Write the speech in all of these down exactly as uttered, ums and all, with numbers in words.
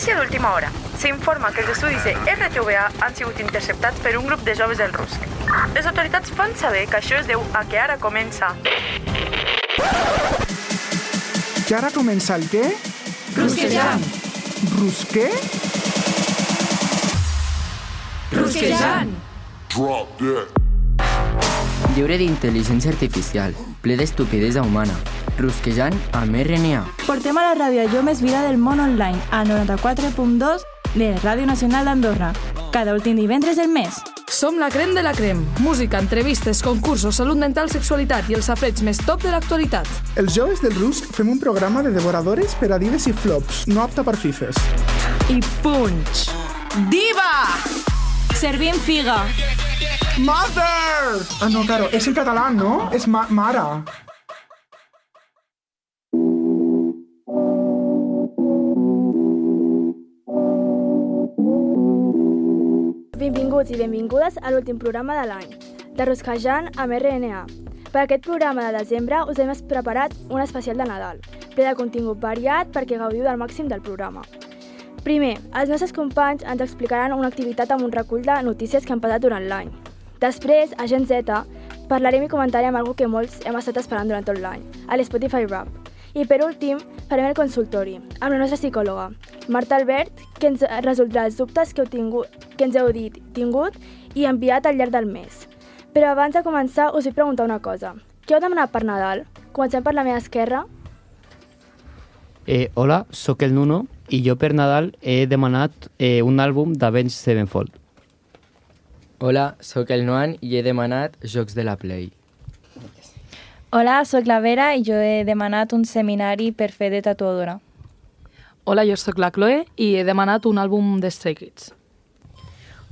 Notícia d'última hora. S'informa que els estudis de R T V A han sigut interceptats per un grup de joves del Rusc. Les autoritats fan saber que això es deu a que ara comença... Que ara comença el què? Rusquejant. Rusqué? Rusquejant. Drop that. Lliure d'intel·ligència artificial, ple d'estupidesa humana. Rusquejant amb R N A. Portem a la ràdio allò més vida del món online, al noranta-quatre punt dos de Ràdio Nacional d'Andorra, cada últim divendres del mes. Som la crem de la crem. Música, entrevistes, concursos, salut mental, sexualitat i els safrets més top de l'actualitat. Els joves del Rusc fem un programa de devoradores per a dives i flops, no apta per fifes. I punch! Diva! Servim figa. Mother! Ah, no, claro, és en català, no? És ma mare. Benvinguts i benvingudes a l'últim programa de l'any, de Rusquejant amb R N A. Per aquest programa de desembre us hem preparat un especial de Nadal, ple de contingut variat perquè gaudiu del màxim del programa. Primer, els nostres companys ens explicaran una activitat amb un recull de notícies que han passat durant l'any. Després, a Gen Z, parlarem i comentarem alguna que molts hem estat esperant durant tot l'any, a l'Spotify Rap. I per últim, farem el consultori, amb la nostra psicòloga, Marta Albert, que ens resoldrà els dubtes que, heu tingut, que ens heu dit, tingut i enviat al llarg del mes. Però abans de començar, us vull preguntar una cosa. Què heu demanat per Nadal? Comencem per la meva esquerra. Eh, hola, sóc el Nuno i jo per Nadal he demanat eh, un àlbum d'Avenged Sevenfold. Hola, sóc el Noan i he demanat Jocs de la Play. Hola, sóc la Vera i jo he demanat un seminari per fer de tatuadora. Hola, jo sóc la Chloe i he demanat un àlbum de Stray Kids.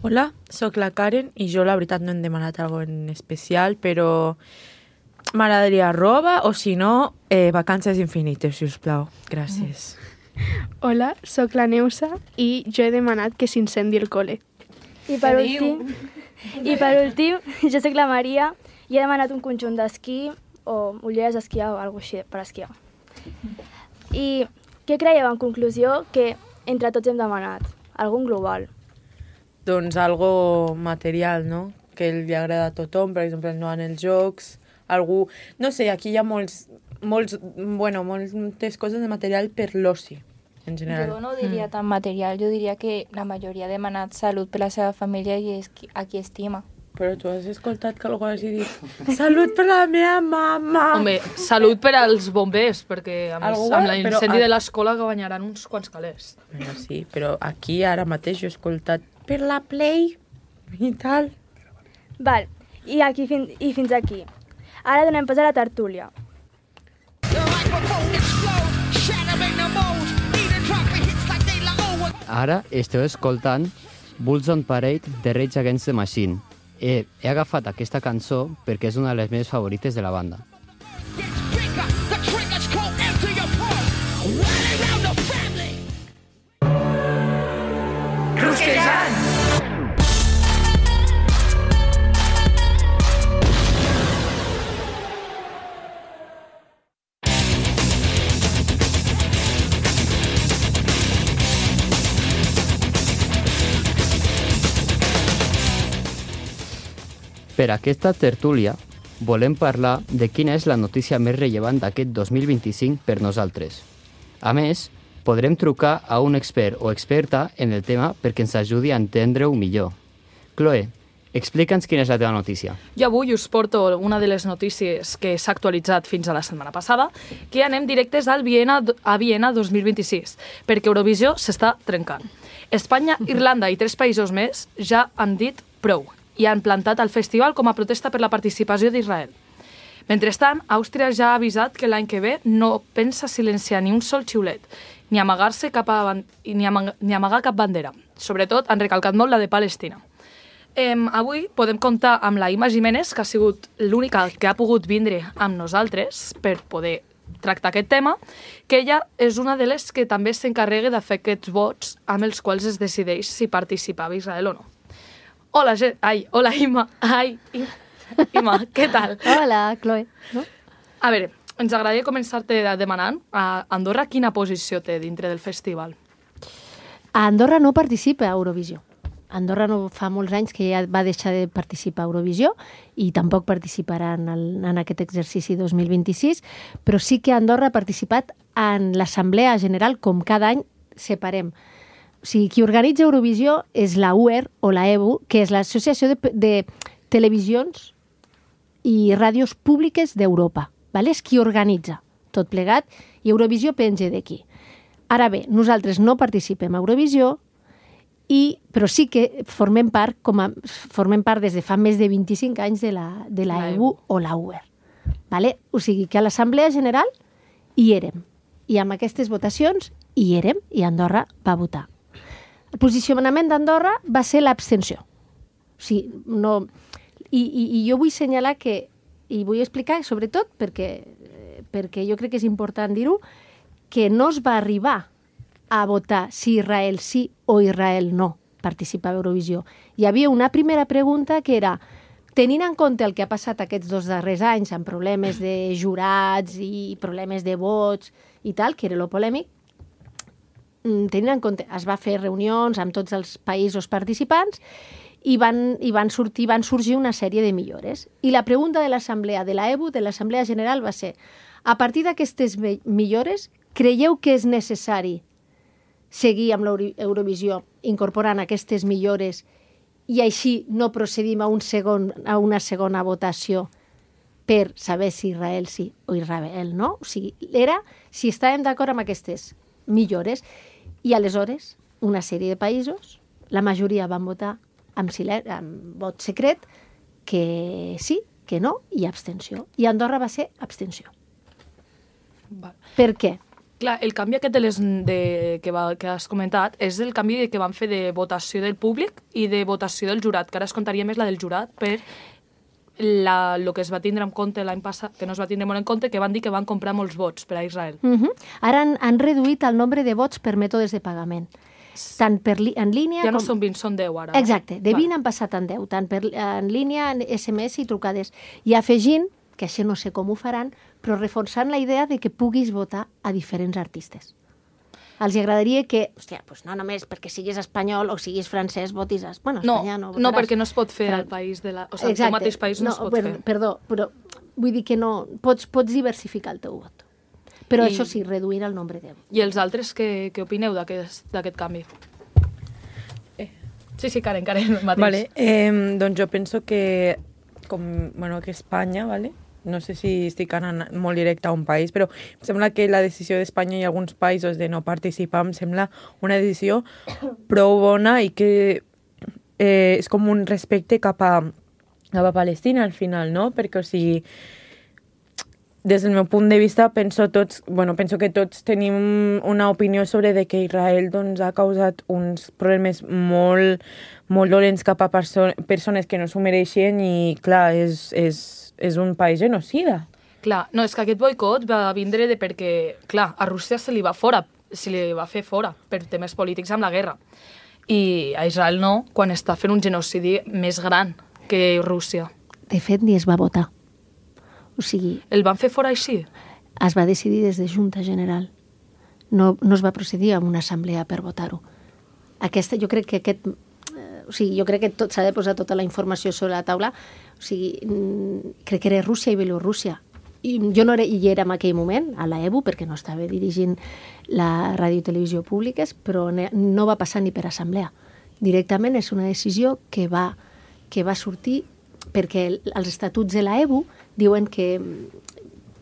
Hola, sóc la Karen i jo la veritat no hem demanat alguna cosa en especial, però m'agradaria roba o si no, eh, vacances infinites, si us plau. Gràcies. Hola, sóc la Neusa i jo he demanat que s'incendi el col·le. I per últim, i per últim, jo sóc la Maria i he demanat un conjunt d'esquí o ulleres d'esquiar o alguna cosa així per esquiar. I què creieu en conclusió que entre tots hem demanat? Algun global? Doncs algo material, no? Que li agrada a tothom, per exemple, no en els jocs, algú... No sé, aquí hi ha molts, molts, bueno, moltes coses de material per l'oci, en general. Jo no diria mm. tan material, jo diria que la majoria ha demanat salut per la seva família i és a qui estima. Però tu has escoltat que algú hagi dit salut per la meva mama. Home, salut per als bombers, perquè amb, Algú, amb l'incendi però... de l'escola que guanyaran uns quants calés. Bueno, sí, però aquí ara mateix jo he escoltat per la Play i tal. Val, i, aquí fin i fins aquí. Ara donem pas a la tertúlia. Ara esteu escoltant Bulls on Parade de Rage Against the Machine. He, he agafat aquesta cançó perquè és una de les meves favorites de la banda. Rusquejant! Per aquesta tertúlia volem parlar de quina és la notícia més rellevant d'aquest dos mil vint-i-cinc per nosaltres. A més, podrem trucar a un expert o experta en el tema perquè ens ajudi a entendre-ho millor. Chloe, explica'ns quina és la teva notícia. Jo avui us porto una de les notícies que s'ha actualitzat fins a la setmana passada, que anem directes al Viena, a Viena dos mil vint-i-sis, perquè Eurovisió s'està trencant. Espanya, Irlanda i tres països més ja han dit prou i han plantat el festival com a protesta per la participació d'Israel. Mentrestant, Àustria ja ha avisat que l'any que ve no pensa silenciar ni un sol xiulet, ni amagar-se cap a, ni, amag, ni amagar cap bandera. Sobretot han recalcat molt la de Palestina. Eh, avui podem comptar amb la Ima Jiménez, que ha sigut l'única que ha pogut vindre amb nosaltres per poder tractar aquest tema, que ella és una de les que també s'encarrega de fer aquests vots amb els quals es decideix si participava Israel o no. Hola, ai, hola Ima, ai, Ima, què tal? Hola, Chloe. No? A veure, ens agradaria començar-te demanant a Andorra quina posició té dintre del festival. A Andorra no participa a Eurovisió. Andorra no fa molts anys que ja va deixar de participar a Eurovisió i tampoc participarà en, el, en aquest exercici dos mil vint-i-sis, però sí que Andorra ha participat en l'Assemblea General, com cada any separem. O sigui, qui organitza Eurovisió és la U E R o la E B U, que és l'Associació de, de Televisions i Ràdios Públiques d'Europa. Vale? És qui organitza tot plegat i Eurovisió penja d'aquí. Ara bé, nosaltres no participem a Eurovisió, I, però sí que formem part, com a, formem part des de fa més de vint-i-cinc anys de la, de la E B U o la U E R. Vale? O sigui que a l'Assemblea General hi érem. I amb aquestes votacions hi érem i Andorra va votar. El posicionament d'Andorra va ser l'abstenció. O sigui, no... I, i, I jo vull assenyalar que, i vull explicar, sobretot, perquè, perquè jo crec que és important dir-ho, que no es va arribar a votar si Israel sí o Israel no participava a Eurovisió. Hi havia una primera pregunta que era, tenint en compte el que ha passat aquests dos darrers anys amb problemes de jurats i problemes de vots i tal, que era lo polèmic, tenint en compte, es va fer reunions amb tots els països participants i van, i van, sortir, van sorgir una sèrie de millores. I la pregunta de l'Assemblea de la E B U, de l'Assemblea General, va ser, a partir d'aquestes millores, creieu que és necessari seguir amb l'Eurovisió incorporant aquestes millores i així no procedim a, un segon, a una segona votació per saber si Israel sí o Israel no? O sigui, era si estàvem d'acord amb aquestes millores i aleshores una sèrie de països, la majoria van votar amb, silen- amb vot secret que sí, que no i abstenció. I Andorra va ser abstenció. Val. Per què? Clar, el canvi aquest de les, de, que, va, que has comentat és el canvi que van fer de votació del públic i de votació del jurat, que ara es comptaria més la del jurat per la, lo que es va tindre en compte l'any passat, que no es va tindre molt en compte, que van dir que van comprar molts vots per a Israel. Uh-huh. Ara han, han reduït el nombre de vots per mètodes de pagament. Tant per li, en línia... Ja no com... són vint, són deu ara. Exacte, de vint vale. Han passat en deu, tant per, en línia, en S M S i trucades. I afegint, que això no sé com ho faran, però reforçant la idea de que puguis votar a diferents artistes. Els agradaria que, hòstia, pues no només perquè siguis espanyol o siguis francès votis... A... Bueno, no, Espanya no votaràs. No, perquè no es pot fer al país de la... O sigui, el mateix país no, no es pot per, fer. Perdó, però vull dir que no... Pots, pots diversificar el teu vot. Però I... això sí, reduir el nombre de vots. I els altres, què, què opineu d'aquest canvi? Eh. Sí, sí, Karen, Karen, mateix. Vale, eh, doncs jo penso que, com, bueno, que Espanya, vale? No sé si estic anant molt directe a un país, però em sembla que la decisió d'Espanya i alguns països de no participar em sembla una decisió prou bona i que eh, és com un respecte cap a, cap a Palestina al final, no? Perquè, o sigui, des del meu punt de vista, penso, tots, bueno, penso que tots tenim una opinió sobre de que Israel doncs, ha causat uns problemes molt, molt dolents cap a perso persones que no s'ho mereixen i, clar, és... és és un país genocida. Clar, no, és que aquest boicot va vindre de perquè, clar, a Rússia se li va fora, se li va fer fora per temes polítics amb la guerra. I a Israel no, quan està fent un genocidi més gran que Rússia. De fet, ni es va votar. O sigui... El van fer fora així? Es va decidir des de Junta General. No, no es va procedir a una assemblea per votar-ho. Aquesta, jo crec que aquest... O sigui, jo crec que s'ha de posar tota la informació sobre la taula. O sigui, crec que era Rússia i Bielorússia. I jo no era, hi era en aquell moment, a la E B U, perquè no estava dirigint la ràdio i televisió públiques, però no va passar ni per assemblea. Directament és una decisió que va, que va sortir perquè els estatuts de la E B U diuen que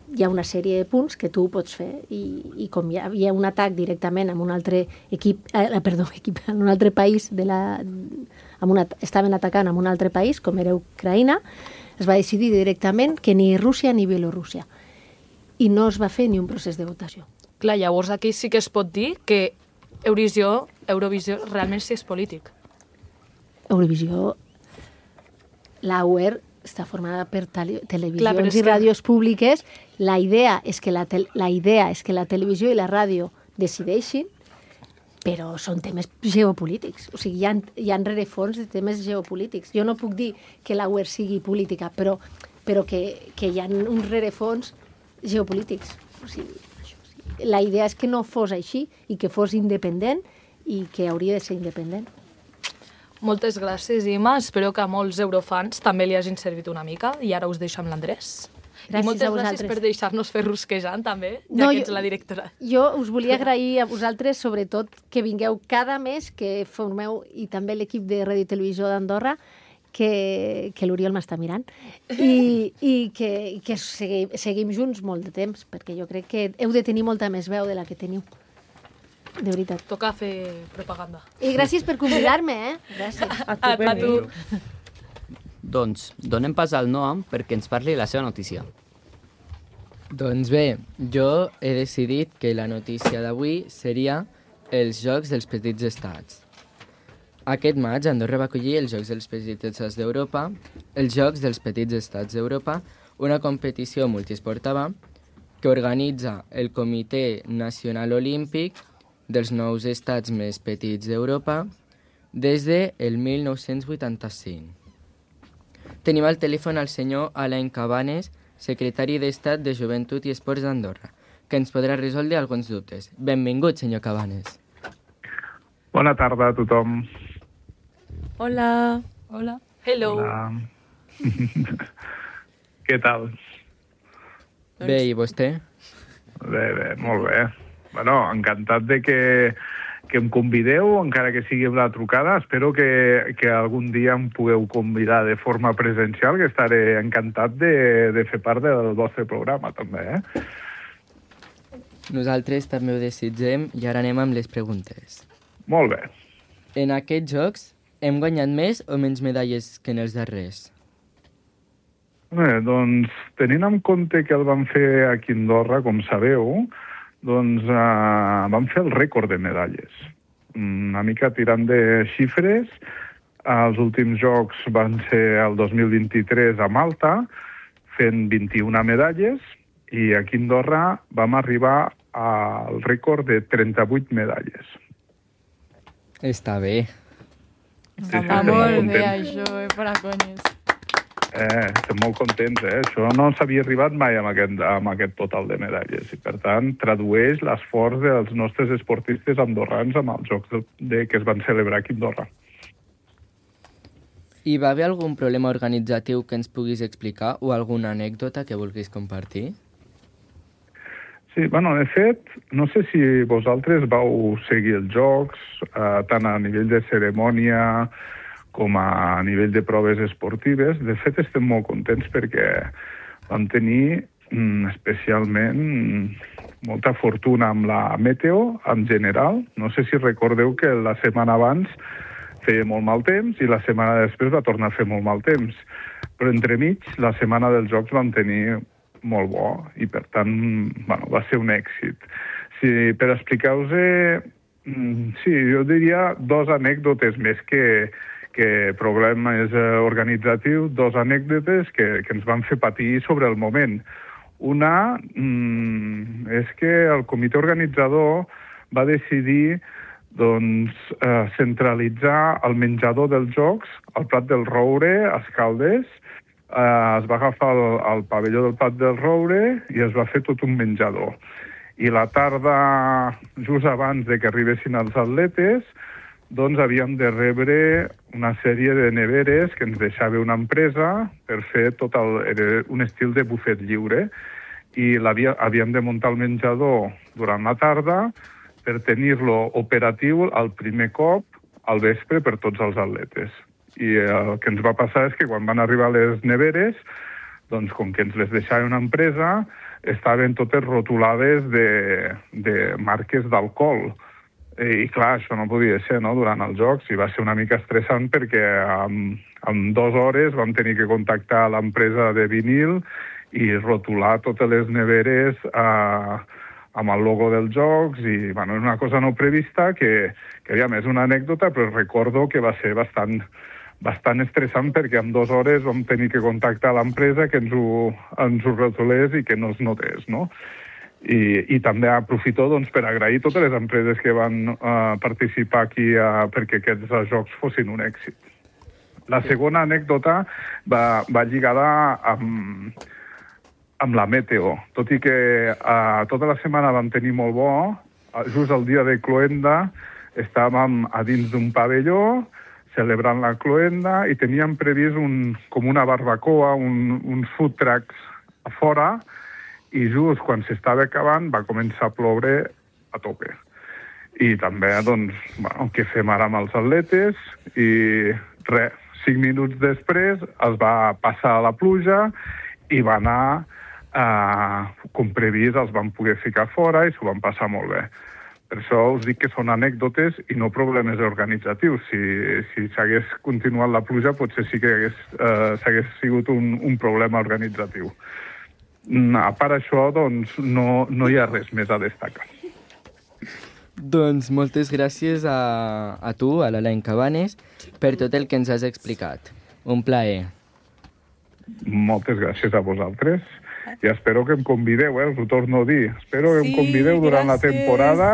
hi ha una sèrie de punts que tu pots fer i, i com hi havia un atac directament amb un altre equip, eh, perdó, equip, en un altre país de la, amb una, estaven atacant en un altre país com era Ucraïna, es va decidir directament que ni Rússia ni Bielorússia i no es va fer ni un procés de votació. Clar, llavors aquí sí que es pot dir que Eurovisió, Eurovisió realment sí és polític. Eurovisió, la U E R està formada per televisions Clar, i ràdios que... públiques. La idea, és que la, la idea és que la televisió i la ràdio decideixin, però són temes geopolítics. O sigui, hi ha, hi ha rerefons de temes geopolítics. Jo no puc dir que la U E R sigui política, però, però que, que hi ha uns rerefons geopolítics. O sigui, això, sí. La idea és que no fos així i que fos independent i que hauria de ser independent. Moltes gràcies, Imma. Espero que a molts eurofans també li hagin servit una mica i ara us deixo amb l'Andrés. Gràcies I moltes a vosaltres. gràcies per deixar-nos fer rusquejant, també, ja No, que jo- ets la directora. Jo us volia agrair a vosaltres, sobretot, que vingueu cada mes, que formeu, i també l'equip de Ràdio i Televisió d'Andorra, que, que l'Oriol m'està mirant, i, i que, i que seguim, seguim junts molt de temps, perquè jo crec que heu de tenir molta més veu de la que teniu. De veritat. Toca fer propaganda. I gràcies per convidar-me, eh? Gràcies. A tu, a tu. Doncs donem pas al Noam perquè ens parli la seva notícia. Doncs bé, jo he decidit que la notícia d'avui seria els Jocs dels Petits Estats. Aquest maig, Andorra va acollir els Jocs dels Petits Estats d'Europa, els Jocs dels Petits Estats d'Europa, una competició multiesportiva que organitza el Comitè Nacional Olímpic dels nous estats més petits d'Europa des del mil nou-cents vuitanta-cinc. Tenim al telèfon el senyor Alain Cabanes, secretari d'Estat de Joventut i Esports d'Andorra, que ens podrà resoldre alguns dubtes. Benvingut, senyor Cabanes. Bona tarda a tothom. Hola. Hola. Hello. Hola. Què tal? Bé, i vostè? Bé, bé, molt bé. Bueno, encantat de que, que em convideu, encara que sigui amb la trucada. Espero que, que algun dia em pugueu convidar de forma presencial, que estaré encantat de, de fer part del vostre programa, també, eh? Nosaltres també ho desitgem i ara anem amb les preguntes. Molt bé. En aquests jocs hem guanyat més o menys medalles que en els darrers? Bé, doncs, tenint en compte que el vam fer aquí a Andorra, com sabeu, doncs eh, vam fer el rècord de medalles. Una mica tirant de xifres, els últims jocs van ser el dos mil vint-i-tres a Malta, fent vint-i-una medalles, i aquí a Andorra vam arribar al rècord de trenta-vuit medalles. Està bé. Està Va molt bé, això, eh, per a conyes. Eh, estem molt contents, eh? Això no s'havia arribat mai amb aquest, amb aquest total de medalles. I, per tant, tradueix l'esforç dels nostres esportistes andorrans amb els jocs de, de, que es van celebrar aquí a Andorra. Hi va haver algun problema organitzatiu que ens puguis explicar o alguna anècdota que vulguis compartir? Sí, bueno, de fet, no sé si vosaltres vau seguir els jocs, eh, tant a nivell de cerimònia com a nivell de proves esportives. De fet, estem molt contents perquè vam tenir mm, especialment molta fortuna amb la meteo en general. No sé si recordeu que la setmana abans feia molt mal temps i la setmana després va tornar a fer molt mal temps. Però entremig, la setmana dels jocs vam tenir molt bo i, per tant, bueno, va ser un èxit. Si, per explicar-vos, sí, jo diria dos anècdotes més que, que problemes organitzatius, dos anècdotes que, que ens van fer patir sobre el moment. Una mm, és que el comitè organitzador va decidir doncs, eh, centralitzar el menjador dels jocs al Prat del Roure, a Escaldes. Eh, es va agafar el, el pavelló del Prat del Roure i es va fer tot un menjador. I la tarda, just abans de que arribessin els atletes, doncs havíem de rebre una sèrie de neveres que ens deixava una empresa per fer tot el, era un estil de bufet lliure. I havíem de muntar el menjador durant la tarda per tenir-lo operatiu el primer cop al vespre per tots els atletes. I el que ens va passar és que quan van arribar les neveres, doncs com que ens les deixava una empresa, estaven totes rotulades de, de marques d'alcohol. I clar, això no podia ser, no?, durant els jocs, i va ser una mica estressant perquè en, en dues hores vam tenir que contactar l'empresa de vinil i rotular totes les neveres a, amb el logo dels jocs, i bueno, és una cosa no prevista que, que aviam, és una anècdota, però recordo que va ser bastant, bastant estressant perquè en dues hores vam tenir que contactar l'empresa que ens ho, ens ho rotulés i que no es notés, no? I, i també aprofito doncs, per agrair totes les empreses que van uh, participar aquí uh, perquè aquests uh, jocs fossin un èxit. La segona anècdota va, va lligada amb, amb la meteo. Tot i que uh, tota la setmana vam tenir molt bo, uh, just el dia de Cloenda estàvem a dins d'un pavelló celebrant la cloenda i teníem previst un, com una barbacoa, un, uns food trucks a fora, i just quan s'estava acabant va començar a ploure a tope. I també, doncs, bueno, què fem ara amb els atletes? I res, cinc minuts després es va passar la pluja i va anar, eh, com previst, els van poder ficar fora i s'ho van passar molt bé. Per això us dic que són anècdotes i no problemes organitzatius. Si, si s'hagués continuat la pluja, potser sí que hagués, eh, s'hagués sigut un, un problema organitzatiu. A part això, doncs, no, no hi ha res més a destacar. Doncs moltes gràcies a, a tu, a l'Alain Cabanes, per tot el que ens has explicat. Un plaer. Moltes gràcies a vosaltres. I espero que em convideu, eh? Us ho torno a dir. Espero que sí, em convideu durant gràcies. La temporada.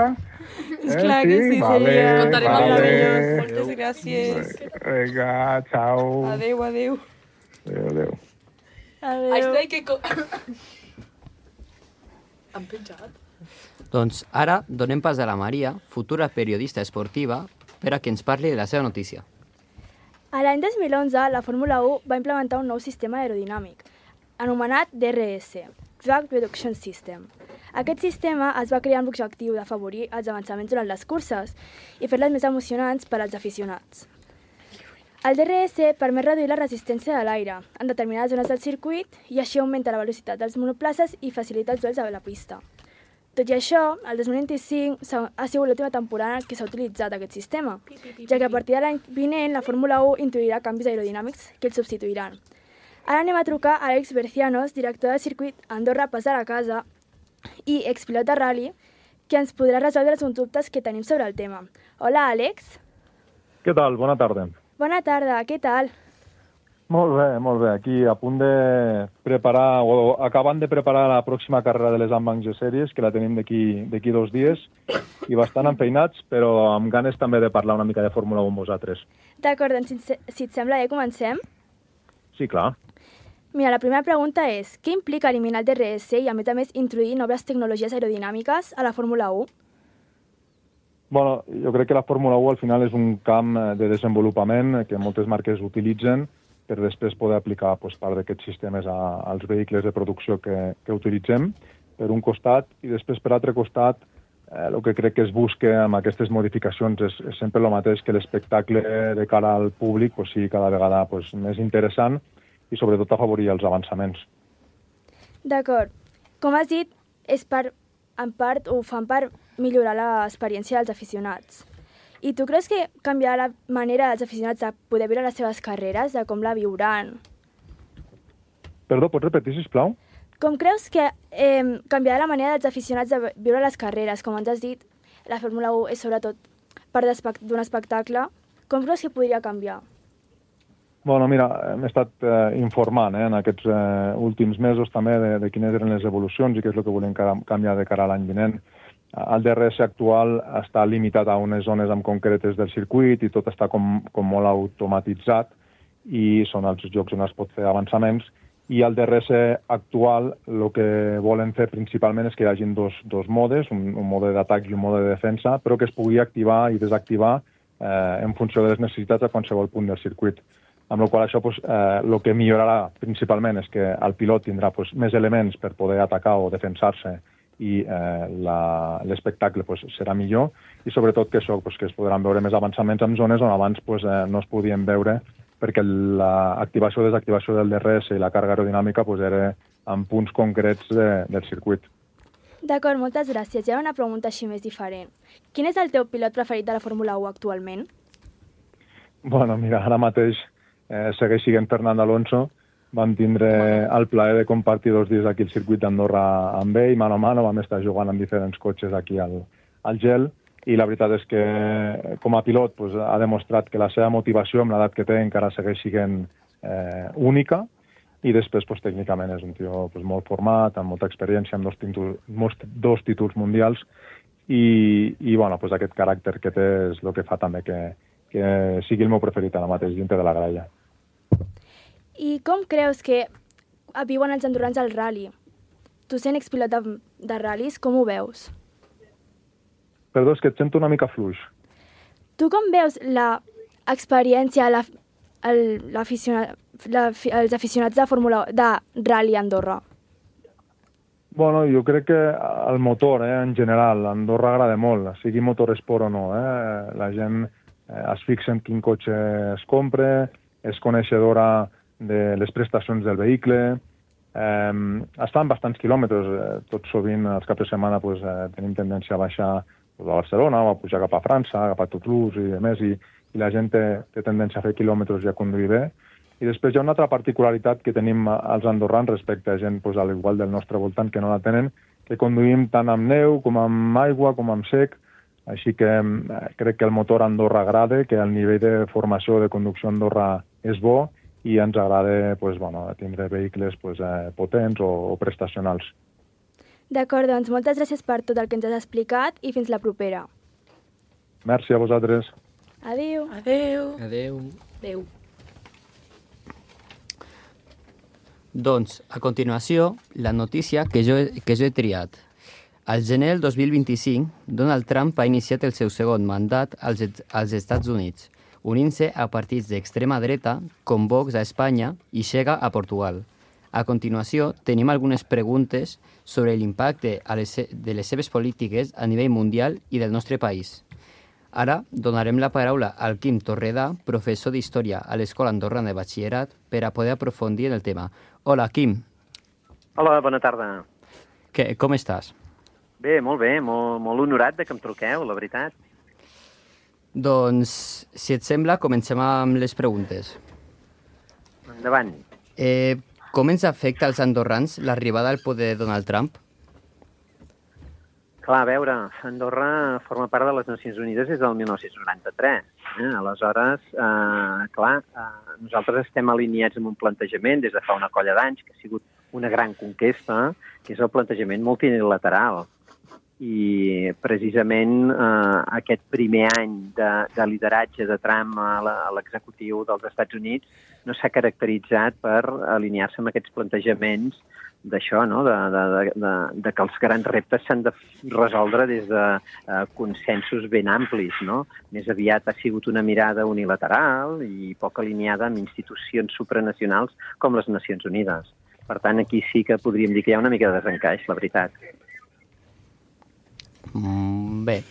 Eh? Clar que sí, vale, seria. Contarem vale. Vale. Moltes gràcies. Vinga, ciao. Adéu, adéu. Adéu, adéu. Adéu. Estic que... Co... Han penjat? Doncs ara donem pas a la Maria, futura periodista esportiva, per a que ens parli de la seva notícia. A l'any dos mil onze, la Fórmula u va implementar un nou sistema aerodinàmic, anomenat D R S, Drag Reduction System. Aquest sistema es va crear amb l'objectiu d'afavorir els avançaments durant les curses i fer-les més emocionants per als aficionats. El D R S permet reduir la resistència de l'aire en determinades zones del circuit i així augmenta la velocitat dels monoplaces i facilita els duels a la pista. Tot i això, el dos mil vint-i-cinc ha sigut l'última temporada en què s'ha utilitzat aquest sistema, ja que a partir de l'any vinent la Fórmula u introduirà canvis aerodinàmics que el substituiran. Ara anem a trucar a Àlex Bercianos, director del circuit Andorra-Pas de la Casa i expilot de rally, que ens podrà resoldre els dubtes que tenim sobre el tema. Hola, Àlex. Què tal? Bona tarda. Bona tarda, què tal? Molt bé, molt bé. Aquí a punt de preparar, o acabant de preparar la pròxima carrera de les Ambanc G-Series, que la tenim d'aquí dos dies, i bastant enfeinats, però amb ganes també de parlar una mica de Fórmula u amb vosaltres. D'acord, doncs si, si et sembla bé, comencem? Sí, clar. Mira, la primera pregunta és, què implica eliminar el D R S i, a més a més, introduir noves tecnologies aerodinàmiques a la Fórmula u? Bueno, jo crec que la Fórmula u al final és un camp de desenvolupament que moltes marques utilitzen per després poder aplicar pues, part d'aquests sistemes a, als vehicles de producció que, que utilitzem, per un costat, i després per altre costat, eh, el que crec que es busca amb aquestes modificacions és, és sempre el mateix, que l'espectacle de cara al públic pues, sigui cada vegada pues, més interessant i sobretot afavorir els avançaments. D'acord. Com has dit, és per, en part ho fan per millorar l'experiència dels aficionats. I tu creus que canviarà la manera dels aficionats de poder viure les seves carreres, de com la viuran? Perdó, pots repetir, sisplau? Com creus que eh, canviarà la manera dels aficionats de viure les carreres? Com ens has dit, la Fórmula u és sobretot part d'un espectacle. Com creus que podria canviar? Bueno, mira, hem estat eh, informant eh, en aquests eh, últims mesos també de, de quines eren les evolucions i què és el que volem canviar de cara a l'any vinent. El D R S actual està limitat a unes zones en concretes del circuit i tot està com, com molt automatitzat i són els llocs on es pot fer avançaments. I el D R S actual el que volen fer principalment és que hi hagi dos, dos modes, un, un mode d'atac i un mode de defensa, però que es pugui activar i desactivar eh, en funció de les necessitats a qualsevol punt del circuit. Amb la qual cosa, això pues, eh, el que millorarà principalment és que el pilot tindrà pues, més elements per poder atacar o defensar-se i eh, l'espectacle pues, serà millor i sobretot que això pues, que es podran veure més avançaments en zones on abans pues, eh, no es podien veure perquè l'activació o desactivació del D R S i la càrrega aerodinàmica pues, era en punts concrets de, del circuit. D'acord, moltes gràcies. Hi ha una pregunta així més diferent. Quin és el teu pilot preferit de la Fórmula u actualment? Bueno, mira, ara mateix eh, segueix sent Fernando Alonso. Vam tindre el plaer de compartir dos dies aquí al circuit d'Andorra amb ell, mano a mano, vam estar jugant amb diferents cotxes aquí al, al gel, i la veritat és que com a pilot pues, ha demostrat que la seva motivació amb l'edat que té encara segueix sent eh, única, i després pues, tècnicament és un tio pues, molt format, amb molta experiència, amb dos títols, dos títols mundials, i, i bueno, pues, aquest caràcter que té és el que fa també que, que sigui el meu preferit ara mateix dintre de la gralla. I com creus que viuen els andorrans al rally? Tu sent expilot de, de ral·lis, com ho veus? Perdó, és que et sento una mica fluix. Tu com veus l'experiència, la, el, l'aficionat, la, els aficionats de Fórmula de Rally Andorra? Bueno, jo crec que el motor, eh, en general, a Andorra agrada molt, sigui motoresport o no. Eh? La gent eh, es fixa en quin cotxe es compra, és coneixedora de les prestacions del vehicle, eh, està en bastants quilòmetres. Eh, tot sovint, els caps de setmana, pues, eh, tenim tendència a baixar pues, a Barcelona o a pujar cap a França, cap a Toulouse i demés, i, i la gent té, té tendència a fer quilòmetres i a conduir bé. I després hi ha una altra particularitat que tenim els andorrans respecte a gent, pues, a l'igual del nostre voltant, que no la tenen, que conduïm tant amb neu, com amb aigua, com amb sec. Així que eh, crec que el motor a Andorra agrada, que el nivell de formació de conducció a Andorra és bo i ens agrada pues, bueno, tindre vehicles pues, eh, potents o, o prestacionals. D'acord, doncs moltes gràcies per tot el que ens has explicat i fins la propera. Merci a vosaltres. Adéu. Adéu. Adéu. Adéu. Doncs, a continuació, la notícia que jo, que jo he triat. Al gener del dos mil vint-i-cinc, Donald Trump ha iniciat el seu segon mandat als, als Estats Units, unint-se a partits d'extrema dreta com Vox a Espanya i Xega a Portugal. A continuació, tenim algunes preguntes sobre l'impacte a les, de les seves polítiques a nivell mundial i del nostre país. Ara donarem la paraula al Quim Torredà, professor d'Història a l'Escola Andorrana de Batxillerat, per a poder aprofundir en el tema. Hola, Quim. Hola, bona tarda. Que, com estàs? Bé, molt bé, molt, molt honorat de que em truqueu, la veritat. Doncs, si et sembla, comencem amb les preguntes. Endavant. Eh, com ens afecta als andorrans l'arribada al poder de Donald Trump? Clar, a veure, Andorra forma part de les Nacions Unides des del mil nou-cents noranta-tres. Eh? Aleshores, eh, clar, eh, nosaltres estem alineats amb un plantejament des de fa una colla d'anys, que ha sigut una gran conquesta, que és el plantejament multilateral. I precisament eh, aquest primer any de, de lideratge de Trump a l'executiu dels Estats Units no s'ha caracteritzat per alinear-se amb aquests plantejaments d'això, no? de, de, de, de que els grans reptes s'han de resoldre des de uh, consensos ben amplis. No? Més aviat ha sigut una mirada unilateral i poc alineada amb institucions supranacionals com les Nacions Unides. Per tant, aquí sí que podríem dir que hi ha una mica de desencaix, la veritat. Mm, bé,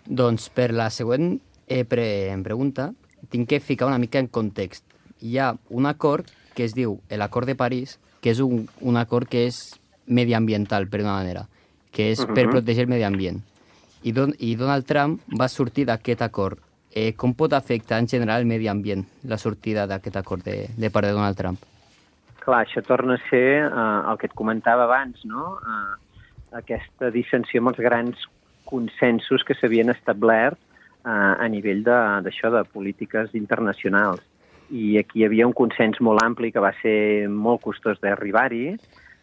doncs per la següent eh, pre pregunta tinc que ficar una mica en context. Hi ha un acord que es diu l'Acord de París, que és un, un acord que és mediambiental, per una manera, que és per protegir el medi ambient. I, don, i Donald Trump va sortir d'aquest acord. Eh, com pot afectar en general el medi ambient, la sortida d'aquest acord de, de part de Donald Trump? Clar, això torna a ser eh, el que et comentava abans, no? Eh, aquesta dissensió amb els grans consensos que s'havien establert eh, a nivell d'això, de, de polítiques internacionals. I aquí hi havia un consens molt ampli que va ser molt costós d'arribar-hi.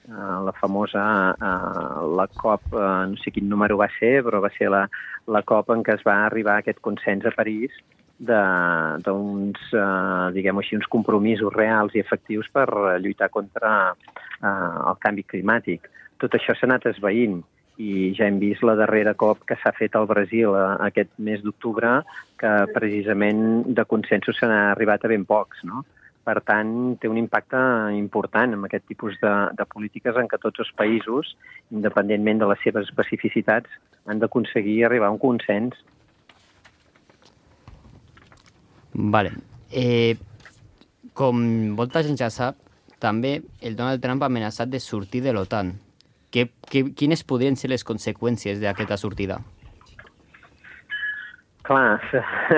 Uh, la famosa, uh, la COP, uh, no sé quin número va ser, però va ser la, la COP en què es va arribar a aquest consens a París d'uns, uh, diguem-ho així, uns compromisos reals i efectius per lluitar contra uh, el canvi climàtic. Tot això s'ha anat esvaint. I ja hem vist la darrera COP que s'ha fet al Brasil aquest mes d'octubre, que precisament de consensos se n'ha arribat a ben pocs, no? Per tant, té un impacte important en aquest tipus de, de polítiques en què tots els països, independentment de les seves especificitats, han d'aconseguir arribar a un consens. Vale. Eh, com molta gent ja sap, també el Donald Trump ha amenaçat de sortir de l'OTAN. Que, que, quines podrien ser les conseqüències d'aquesta sortida? Clar,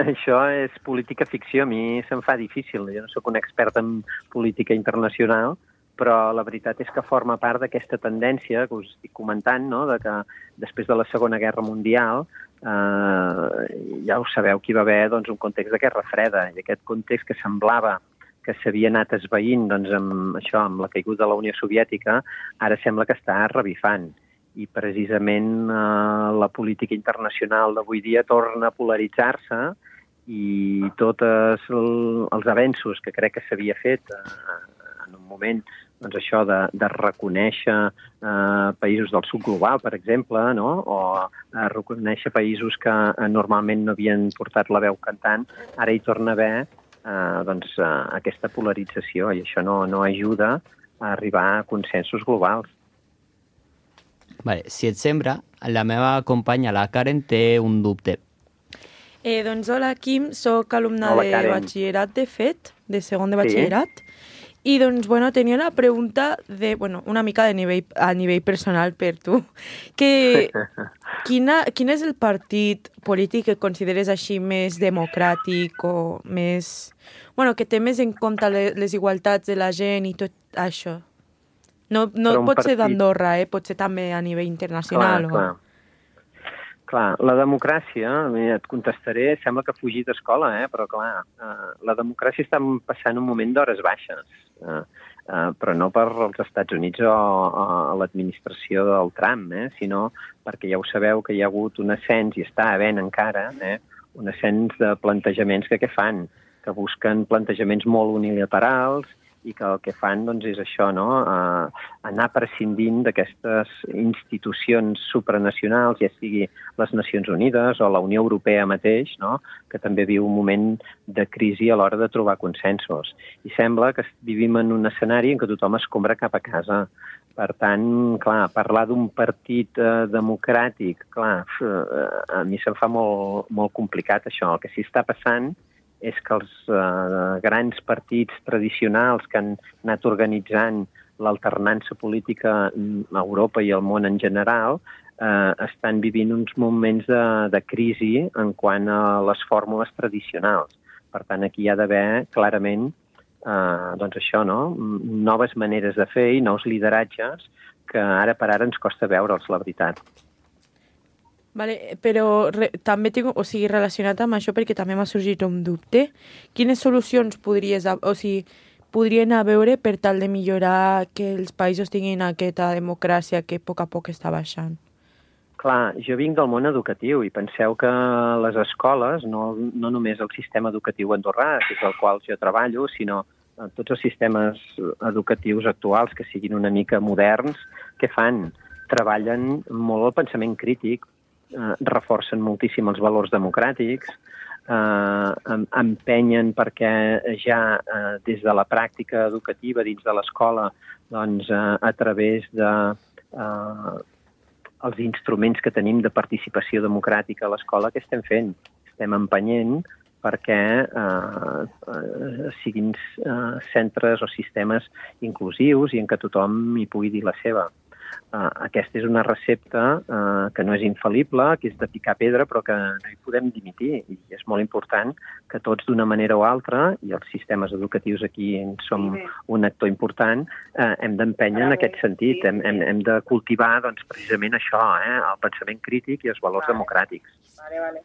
això és política ficció. A mi se'm fa difícil. Jo no sóc un expert en política internacional, però la veritat és que forma part d'aquesta tendència que us estic comentant, no? De que després de la Segona Guerra Mundial, eh, ja ho sabeu que hi va haver doncs, un context de guerra freda, i aquest context que semblava que s'havia anat esvaint doncs, amb, això, amb la caiguda de la Unió Soviètica, ara sembla que està revifant. I precisament eh, la política internacional d'avui dia torna a polaritzar-se i tots el, els avenços que crec que s'havia fet eh, en un moment doncs això de, de reconèixer eh, països del sud global, per exemple, no? O eh, reconèixer països que eh, normalment no havien portat la veu cantant, ara hi torna a haver eh, doncs, eh, aquesta polarització i això no, no ajuda a arribar a consensos globals. Vale, si et sembla, la meva companya, la Karen, té un dubte. Eh, doncs hola, Quim, soc alumna Hola, de Karen. batxillerat, de fet, de segon de Sí. batxillerat, i doncs, bueno, tenia una pregunta de, bueno, una mica de nivell, a nivell personal per tu, que quina, quin és el partit polític que consideres així més democràtic o més... Bueno, que té més en compte les, les igualtats de la gent i tot això? No, no Però un pot ser partit- d'Andorra, eh? Pot ser també a nivell internacional. Clar, clar. Clar, la democràcia, mira, et contestaré, sembla que fugir d'escola, eh? Però clar, eh, la democràcia està passant un moment d'hores baixes, eh? Eh, però no per als Estats Units o a l'administració del Trump, eh? Sinó perquè ja ho sabeu que hi ha hagut un ascens, i està havent encara, eh? un ascens de plantejaments que què fan? Que busquen plantejaments molt unilaterals i que el que fan doncs, és això, no? eh, anar prescindint d'aquestes institucions supranacionals, ja sigui les Nacions Unides o la Unió Europea mateix, no? Que també viu un moment de crisi a l'hora de trobar consensos. I sembla que vivim en un escenari en què tothom es compra cap a casa. Per tant, clar, parlar d'un partit eh, democràtic, clar, eh, a mi se'm fa molt, molt complicat això. El que sí està passant és que els eh, grans partits tradicionals que han anat organitzant l'alternança política a Europa i al món en general eh, estan vivint uns moments de, de crisi en quant a les fórmules tradicionals. Per tant, aquí hi ha d'haver clarament eh, doncs això, no? Noves maneres de fer i nous lideratges que ara per ara ens costa veure'ls, la veritat. Vale, però re, també tinc, o sigui, relacionat amb això, perquè també m'ha sorgit un dubte. Quines solucions podries, o sigui, podrien a veure per tal de millorar que els països tinguin aquesta democràcia que a poc a poc està baixant? Clar, jo vinc del món educatiu i penseu que les escoles, no, no només el sistema educatiu andorrà, que és el qual jo treballo, sinó tots els sistemes educatius actuals que siguin una mica moderns, què fan? Treballen molt el pensament crític, eh, reforcen moltíssim els valors democràtics, eh, empenyen perquè ja eh, des de la pràctica educativa dins de l'escola, doncs eh, a través de eh, els instruments que tenim de participació democràtica a l'escola, què estem fent? Estem empenyent perquè eh, eh, siguin eh, centres o sistemes inclusius i en què tothom hi pugui dir la seva. Uh, aquesta és una recepta uh, que no és infal·lible, que és de picar pedra, però que no hi podem dimitir. I és molt important que tots, d'una manera o altra, i els sistemes educatius aquí en som un actor important, uh, hem d'empènyer en aquest sentit. Hem, hem, hem de cultivar doncs, precisament això, eh, el pensament crític i els valors democràtics. Vale, vale.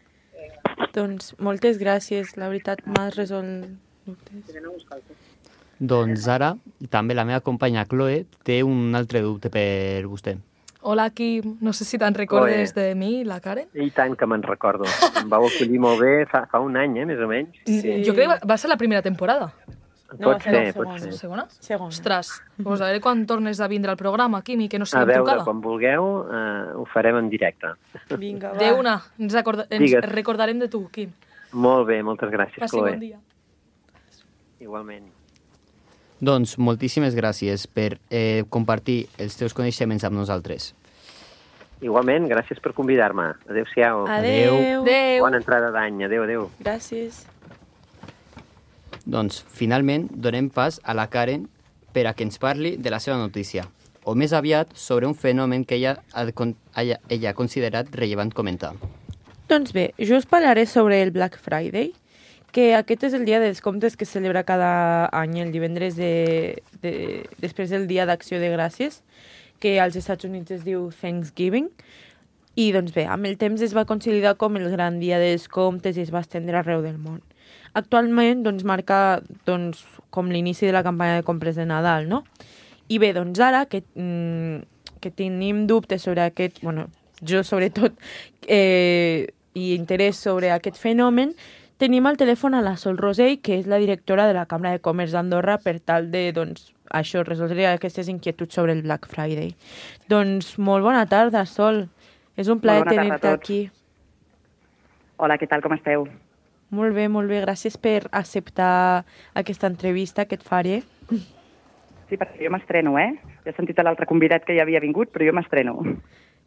Doncs moltes gràcies, la veritat m'has resolt dubtes. Doncs ara, també la meva companya Chloe té un altre dubte per vostè. Hola, Quim. No sé si te'n recordes Chloe. De mi, la Karen. I tant que me'n recordo. Em vau acollir molt bé fa, fa un any, eh, més o menys. Sí. Jo crec que va ser la primera temporada. No, pot ser, pot ser. Segona? Segona. Ostres, doncs a veure quan tornes a vindre al programa, Quim, i que no A siguem veure, trucada. quan vulgueu, eh, ho farem en directe. Vinga, va. De una, ens, acorda... ens Digues. recordarem de tu, Quim. Molt bé, moltes gràcies, Passi Chloe. bon dia. Igualment. Doncs moltíssimes gràcies per eh, compartir els teus coneixements amb nosaltres. Igualment, gràcies per convidar-me. Adéu-siau. Adéu. Adéu. Bona entrada d'any. Adéu, adéu. Gràcies. Doncs, finalment, donem pas a la Karen per a que ens parli de la seva notícia, o més aviat sobre un fenomen que ella ha, ella, ella ha considerat rellevant comentar. Doncs bé, jo us parlaré sobre el Black Friday, que aquest és el dia de descomptes que es celebra cada any, el divendres de, de, després del Dia d'Acció de Gràcies, que als Estats Units es diu Thanksgiving. I doncs bé, amb el temps es va consolidar com el gran dia de descomptes i es va estendre arreu del món. Actualment doncs, marca doncs, com l'inici de la campanya de compres de Nadal, no? I bé, doncs ara que, mm, que tenim dubtes sobre aquest, bueno, jo sobretot, eh, i interès sobre aquest fenomen, tenim al telèfon a la Sol Rosell, que és la directora de la Cambra de Comerç d'Andorra, per tal de, doncs, això, resoldre aquestes inquietuds sobre el Black Friday. Doncs molt bona tarda, Sol. És un plaer Molt bona tarda a tenir-te tots. aquí. Hola, què tal, com esteu? Molt bé, molt bé. Gràcies per acceptar aquesta entrevista que et faré. Sí, perquè jo m'estreno, eh? Ja he sentit a l'altre convidat que ja havia vingut, però jo m'estreno.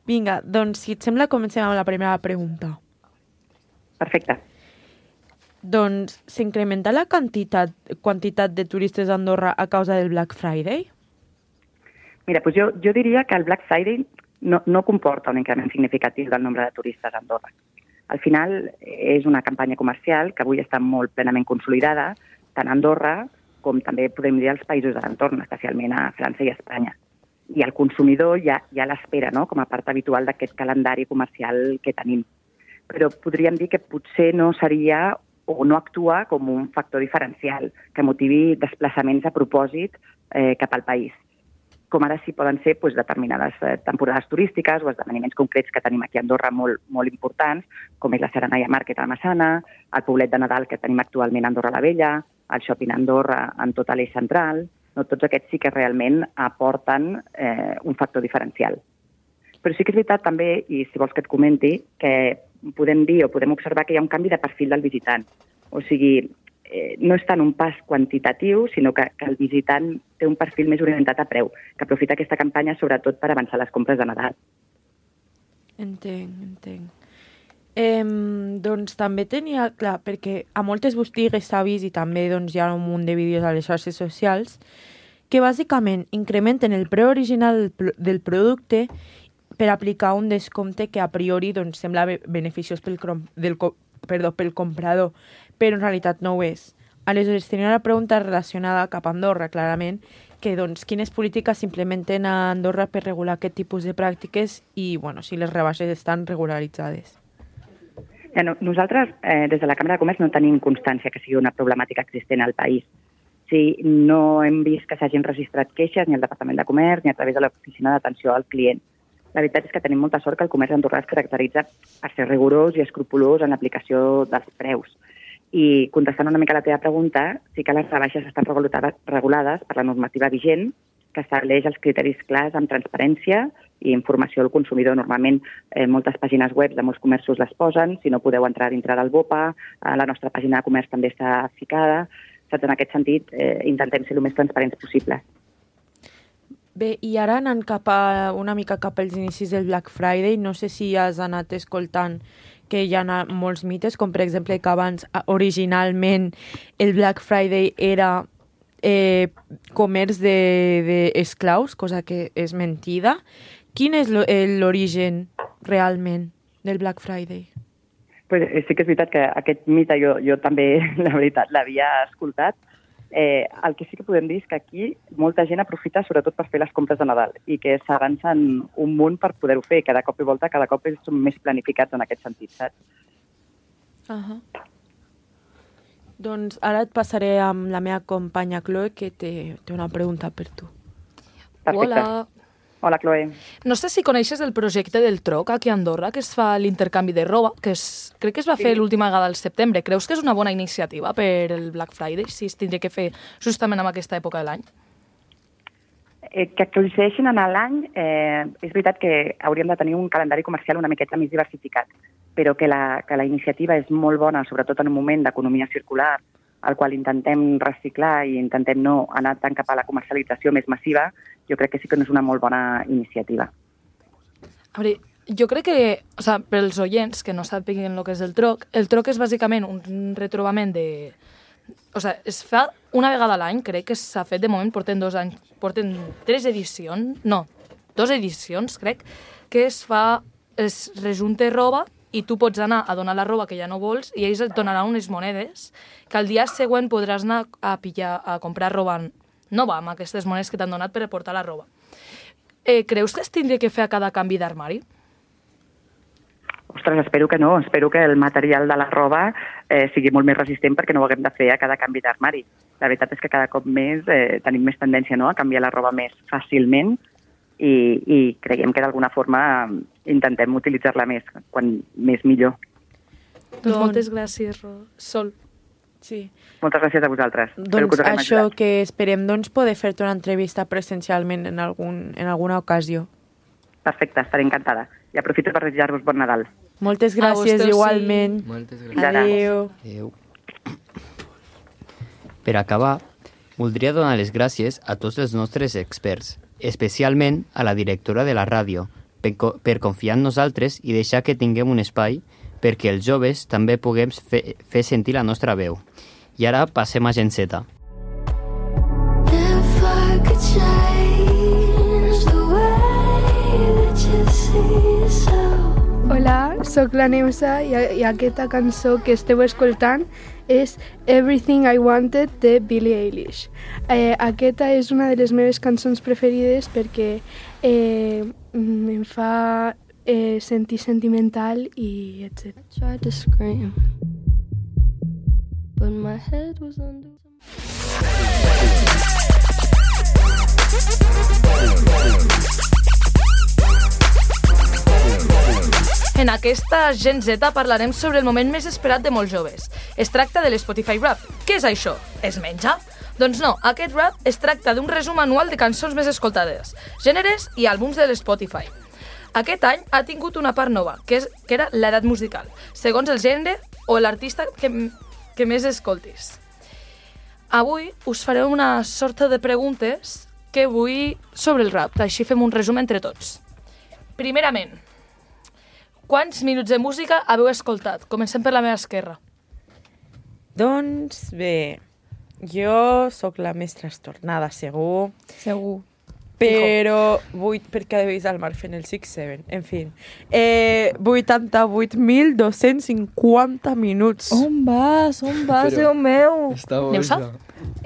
Vinga, doncs, si et sembla, comencem amb la primera pregunta. Perfecte. Doncs, s'incrementa la quantitat, quantitat de turistes a Andorra a causa del Black Friday? Mira, doncs jo, jo diria que el Black Friday no, no comporta un increment significatiu del nombre de turistes a Andorra. Al final, és una campanya comercial que avui està molt plenament consolidada, tant a Andorra com també podem dir als països de l'entorn, especialment a França i a Espanya. I el consumidor ja, ja l'espera, no?, com a part habitual d'aquest calendari comercial que tenim. Però podríem dir que potser no seria o no actua com un factor diferencial que motivi desplaçaments a propòsit eh, cap al país. Com ara sí poden ser doncs, determinades eh, temporades turístiques o esdeveniments concrets que tenim aquí a Andorra molt, molt importants, com és la Serenaia Market a Massana, el poblet de Nadal que tenim actualment a Andorra la Vella, el Shopping Andorra en tota l'eix central. No, tots aquests sí que realment aporten eh, un factor diferencial. Però sí que és veritat també, i si vols que et comenti, que podem dir o podem observar que hi ha un canvi de perfil del visitant. O sigui, eh, no és tant un pas quantitatiu, sinó que, que el visitant té un perfil més orientat a preu, que aprofita aquesta campanya sobretot per avançar les compres de Nadal. Entenc, entenc. Eh, doncs també tenia clar, perquè a moltes botigues s'ha vist i també doncs, hi ha un munt de vídeos a les xarxes socials que bàsicament incrementen el preu original del producte per aplicar un descompte que a priori doncs, sembla beneficiós pel, del, perdó, pel comprador, però en realitat no ho és. Aleshores, tenia una pregunta relacionada cap a Andorra, clarament, que doncs, quines polítiques s'implementen a Andorra per regular aquest tipus de pràctiques i bueno, si les rebaixes estan regularitzades. Ja, no, nosaltres, eh, des de la Càmera de Comerç, no tenim constància que sigui una problemàtica existent al país. Sí, no hem vist que s'hagin registrat queixes ni al Departament de Comerç ni a través de l'Oficina d'Atenció al Client. La veritat és que tenim molta sort que el comerç andorrà es caracteritza per ser rigorós i escrupolós en l'aplicació dels preus. I contestant una mica a la teva pregunta, sí que les rebaixes estan regulades per la normativa vigent, que estableix els criteris clars amb transparència i informació al consumidor. Normalment, eh, moltes pàgines web de molts comerços les posen, si no podeu entrar dintre del BOPA, eh, la nostra pàgina de comerç també està ficada. Saps? En aquest sentit, eh, intentem ser el més transparents possible. Bé, i ara anant cap a, una mica cap als inicis del Black Friday, no sé si has anat escoltant que hi ha molts mites, com per exemple que abans, originalment, el Black Friday era eh, comerç d'esclaus, cosa que és mentida. Quin és l'origen realment del Black Friday? Pues sí que és veritat que aquest mite jo, jo també, la veritat, l'havia escoltat. Eh, el que sí que podem dir és que aquí molta gent aprofita sobretot per fer les compres de Nadal i que s'avancen un munt per poder-ho fer. Cada cop i volta, cada cop som més planificats en aquest sentit, saps? Uh -huh. Doncs ara et passaré amb la meva companya Chloe, que té, té una pregunta per tu. Perfecte. Hola. Hola, Chloe. No sé si coneixes el projecte del Troc aquí a Andorra, que es fa l'intercanvi de roba, que es, crec que es va fer sí. l'última vegada al setembre. Creus que és una bona iniciativa per el Black Friday, si es tindria que fer justament en aquesta època de l'any? Eh, que coincideixin en l'any, eh, és veritat que hauríem de tenir un calendari comercial una miqueta més diversificat, però que la, que la iniciativa és molt bona, sobretot en un moment d'economia circular, al qual intentem reciclar i intentem no anar tant cap a la comercialització més massiva, jo crec que sí que no és una molt bona iniciativa. A veure, jo crec que, o sea, per als oients que no sàpiguen el que és el Troc, el Troc és bàsicament un retrobament de... O sea, es fa una vegada a l'any, crec que s'ha fet de moment, porten dos anys, porten tres edicions, no, dos edicions, crec, que es fa, es rejunta roba i tu pots anar a donar la roba que ja no vols i ells et donaran unes monedes que al dia següent podràs anar a pillar, a comprar roba nova amb aquestes monedes que t'han donat per portar la roba. Eh, creus que es tindria que fer a cada canvi d'armari? Ostres, espero que no. Espero que el material de la roba eh, sigui molt més resistent perquè no ho haguem de fer a cada canvi d'armari. La veritat és que cada cop més eh, tenim més tendència, no?, a canviar la roba més fàcilment i, i creiem que d'alguna forma intentem utilitzar-la més, quan més millor. Doncs moltes gràcies, Sol. Sí. Moltes gràcies a vosaltres. Doncs que això ajudat. Que esperem doncs, poder fer-te una entrevista presencialment en, algun, en alguna ocasió. Perfecte, estaré encantada. I aprofito per desitjar-vos bon Nadal. Moltes gràcies, igualment. Moltes gràcies. Adéu. Adéu. Per acabar, voldria donar les gràcies a tots els nostres experts, especialment a la directora de la ràdio, per, per confiar en nosaltres i deixar que tinguem un espai perquè els joves també puguem fer, fer sentir la nostra veu. I ara passem a Gen Z. Hola, sóc la Neusa i, i aquesta cançó que esteu escoltant és Everything I Wanted de Billie Eilish. Eh, aquesta és una de les meves cançons preferides perquè eh, em fa eh, sentir sentimental i etcètera. I tried to scream, but my head was under... En aquesta Gen Z parlarem sobre el moment més esperat de molts joves. Es tracta de l'Spotify Rap. Què és això? Es menja? Doncs no, aquest rap es tracta d'un resum anual de cançons més escoltades, gèneres i àlbums de l'Spotify. Aquest any ha tingut una part nova, que, és, que era l'edat musical, segons el gènere o l'artista que, que més escoltis. Avui us faré una sorta de preguntes que vull sobre el rap, així fem un resum entre tots. Primerament, quants minuts de música haveu escoltat? Comencem per la meva esquerra. Doncs bé, jo sóc la més trastornada, segur. Segur. Però vuit, perquè he vist el Marc fent el sis set, en fi. Eh, vuitanta-vuit mil dos-cents cinquanta minuts. On vas? On vas, Però... Déu meu? Està Neusa?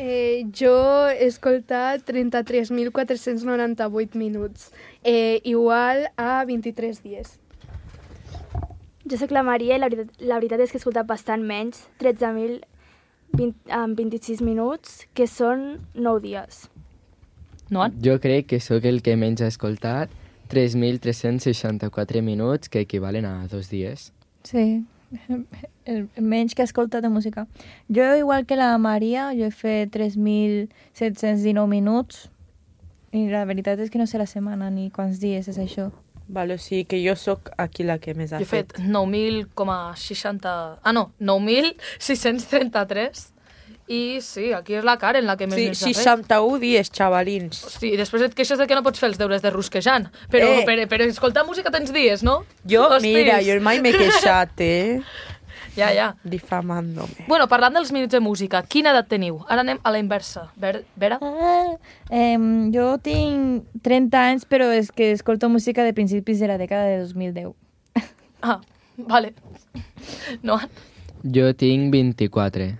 Eh, jo he escoltat trenta-tres mil quatre-cents noranta-vuit minuts, eh, igual a vint-i-tres dies. Jo sóc la Maria i la veritat, la veritat és que he escoltat bastant menys, tretze mil vint-i-sis minuts, que són nou dies. No? Jo crec que sóc el que menys ha escoltat, tres mil tres-cents seixanta-quatre minuts, que equivalen a dos dies. Sí, el menys que he escoltat de música. Jo, igual que la Maria, jo he fet tres mil set-cents dinou minuts i la veritat és que no sé la setmana ni quants dies és això. Vale, o sigui que jo sóc aquí la que més ha Jo he fet nou mil seixanta... Ah, no, nou mil sis-cents trenta-tres. I sí, aquí és la Karen la que més Sí, n'ha fet. seixanta-un dies, xavalins. Sí, i després et queixes de que no pots fer els deures de rusquejant. Però, Eh. per, per escoltar música tens dies, no? Jo, Hostis. mira, jo mai m'he queixat, eh? Ja, ja. Difamándome. Bueno, parlant dels minuts de música, quina edat teniu? Ara anem a la inversa. Ver, Vera? Ah, eh, jo tinc trenta anys, però és que escolto música de principis de la dècada de dos mil deu. Ah, vale. No? Jo tinc vint-i-quatre.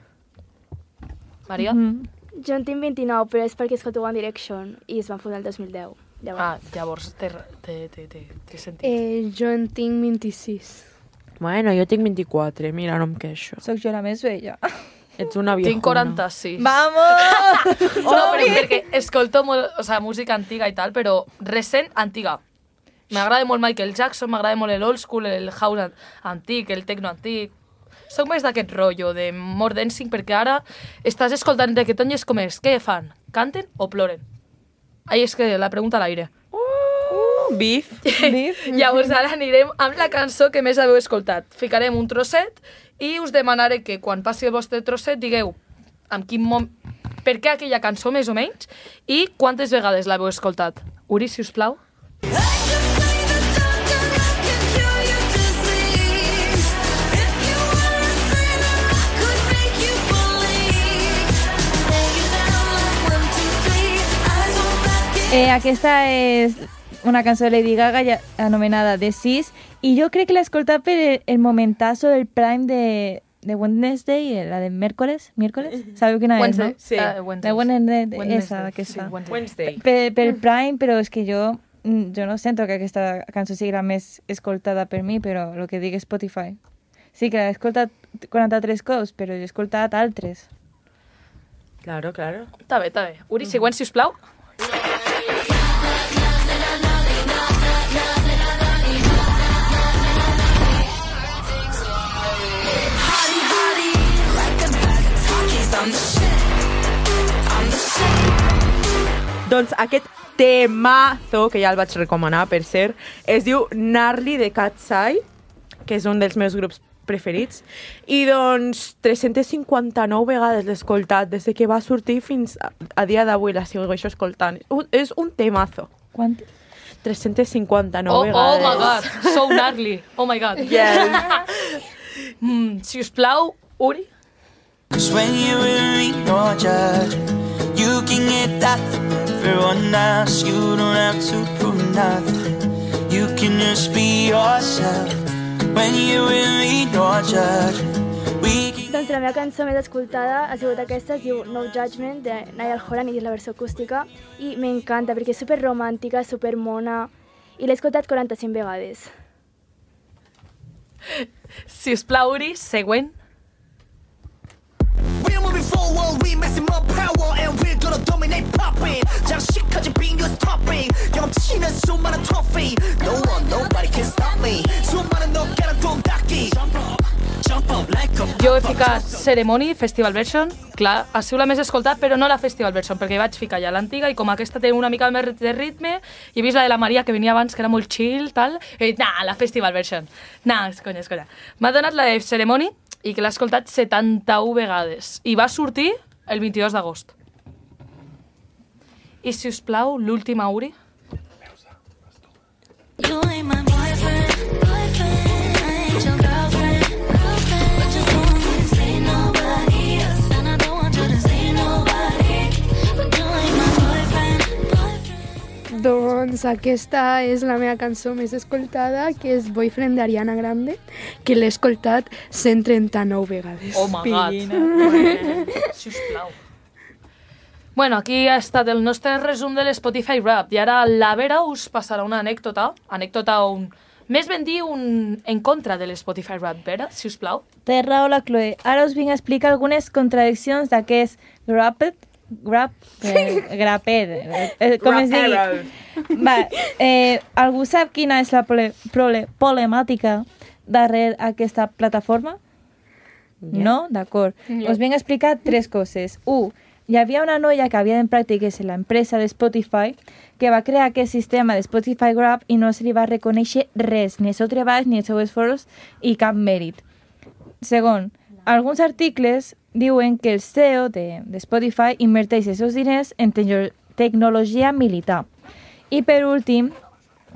Maria? Mm-hmm. Jo en tinc vint-i-nou, però és perquè escolto One Direction i es van fundar el dos mil deu. Llavors. Ah, llavors té, té, té, té, té sentit. Eh, jo en tinc vint-i-sis. Bueno, jo tinc vint-i-quatre, mira, no em queixo. Soc jo la més vella. Ets una viejona. Tinc quaranta-sis. Vamos! No, però perquè escolto molt, o sea, música antiga i tal, però recent, antiga. M'agrada molt Michael Jackson, m'agrada molt l'old school, el house antic, el techno antic. Soc més d'aquest rotllo de more dancing, perquè ara estàs escoltant reggaeton i és com és. Què fan? Canten o ploren? Ahí és que la pregunta a l'aire. Uh, bif. Bif. Llavors ara anirem amb la cançó que més haveu escoltat. Ficarem un trosset i us demanaré que quan passi el vostre trosset digueu amb quin mom... per què aquella cançó més o menys i quantes vegades l'heu escoltat. Uri, si us plau. Eh, aquesta és una cançó de Lady Gaga ja, anomenada The Sis, i jo crec que l'he escoltat per el, el momentazo del Prime de, de Wednesday, la de miércoles, miércoles, sabeu quina Wednesday, és, no? sí. Uh, Wednesday. La Wednesday, Wednesday, esa, aquesta. sí, Wednesday. Wednesday. Per, per el Prime, però és que jo, jo no sento que aquesta cançó sigui la més escoltada per mi, però el que dic Spotify. Sí, que l'he escoltat quaranta-tres cops, però he escoltat altres. Claro, claro. Està bé, està bé. Uri, següent, si us plau. Doncs aquest temazo, que ja el vaig recomanar, per cert. Es diu Gnarly de Cat's Eye, que és un dels meus grups preferits. I doncs tres-centes cinquanta-nou vegades l'he escoltat, des que va sortir fins a, a dia d'avui la segueixo escoltant. Uh, és un temazo. Quant? tres-centes cinquanta-nou oh, vegades. Oh my god, so gnarly. Oh my god. Yes. mm, si us plau, Uri. Cause when you're in no judgment, you can get that from everyone else. You don't have to prove nothing. You can just be yourself. When you're in no judgment. Doncs la meva cançó més escoltada ha sigut aquesta, es diu No Judgment, de Niall Horan, i és la versió acústica, i m'encanta perquè és super romàntica, super mona, i l'he escoltat quaranta-cinc vegades. Si us plau, Uri, següent. We're moving forward, we messing more power, and we're gonna dominate popping. 장식까지 빙교's topping. 경험치는 수많은 trophy. No one, nobody can stop me. 수많은 너가는 돈 닦기. Jo he ficat Ceremony, Festival Version. Clar, ha sigut la més escoltat, però no la Festival Version, perquè vaig ficar ja l'antiga i com aquesta té una mica més de ritme, i he vist la de la Maria, que venia abans, que era molt chill, tal, he dit, nah, la Festival Version. Nah, és conya, és conya. M'ha donat la de Ceremony i que l'ha escoltat setanta-u vegades. I va sortir el vint-i-dos d'agost. I, si us plau, l'última, Uri. You ain't my boyfriend, boyfriend, I ain't your girlfriend, girlfriend. But you don't want me to say nobody else, and I don't want you to say nobody. But you ain't my boyfriend, boyfriend. Doncs aquesta és la meva cançó més escoltada, que és Boyfriend d'Ariana Grande, que l'he escoltat cent trenta-nou vegades. Oh my god. Si us plau. Bueno, aquí ha estat el nostre resum de l'Spotify Rap, i ara la Vera us passarà una anècdota, anècdota un... més ben dir un en contra de l'Spotify Rap. Vera, si us plau. Té raó la Chloe. Ara us vinc a explicar algunes contradiccions d'aquest Grappet, Grap, eh, Grapet, eh, com es digui. Va, eh, algú sap quina és la prole, prole, problemàtica darrere aquesta plataforma? Yeah. No? D'acord. Yeah. Us vinc a explicar tres coses. Un, hi havia una noia que havia en pràctiques en l'empresa de Spotify que va crear aquest sistema de Spotify Grab i no se li va reconèixer res, ni el seu treball, ni el seu esforç i cap mèrit. Segon, alguns articles diuen que el C E O de, de Spotify inverteix els seus diners en te tecnologia militar. I per últim,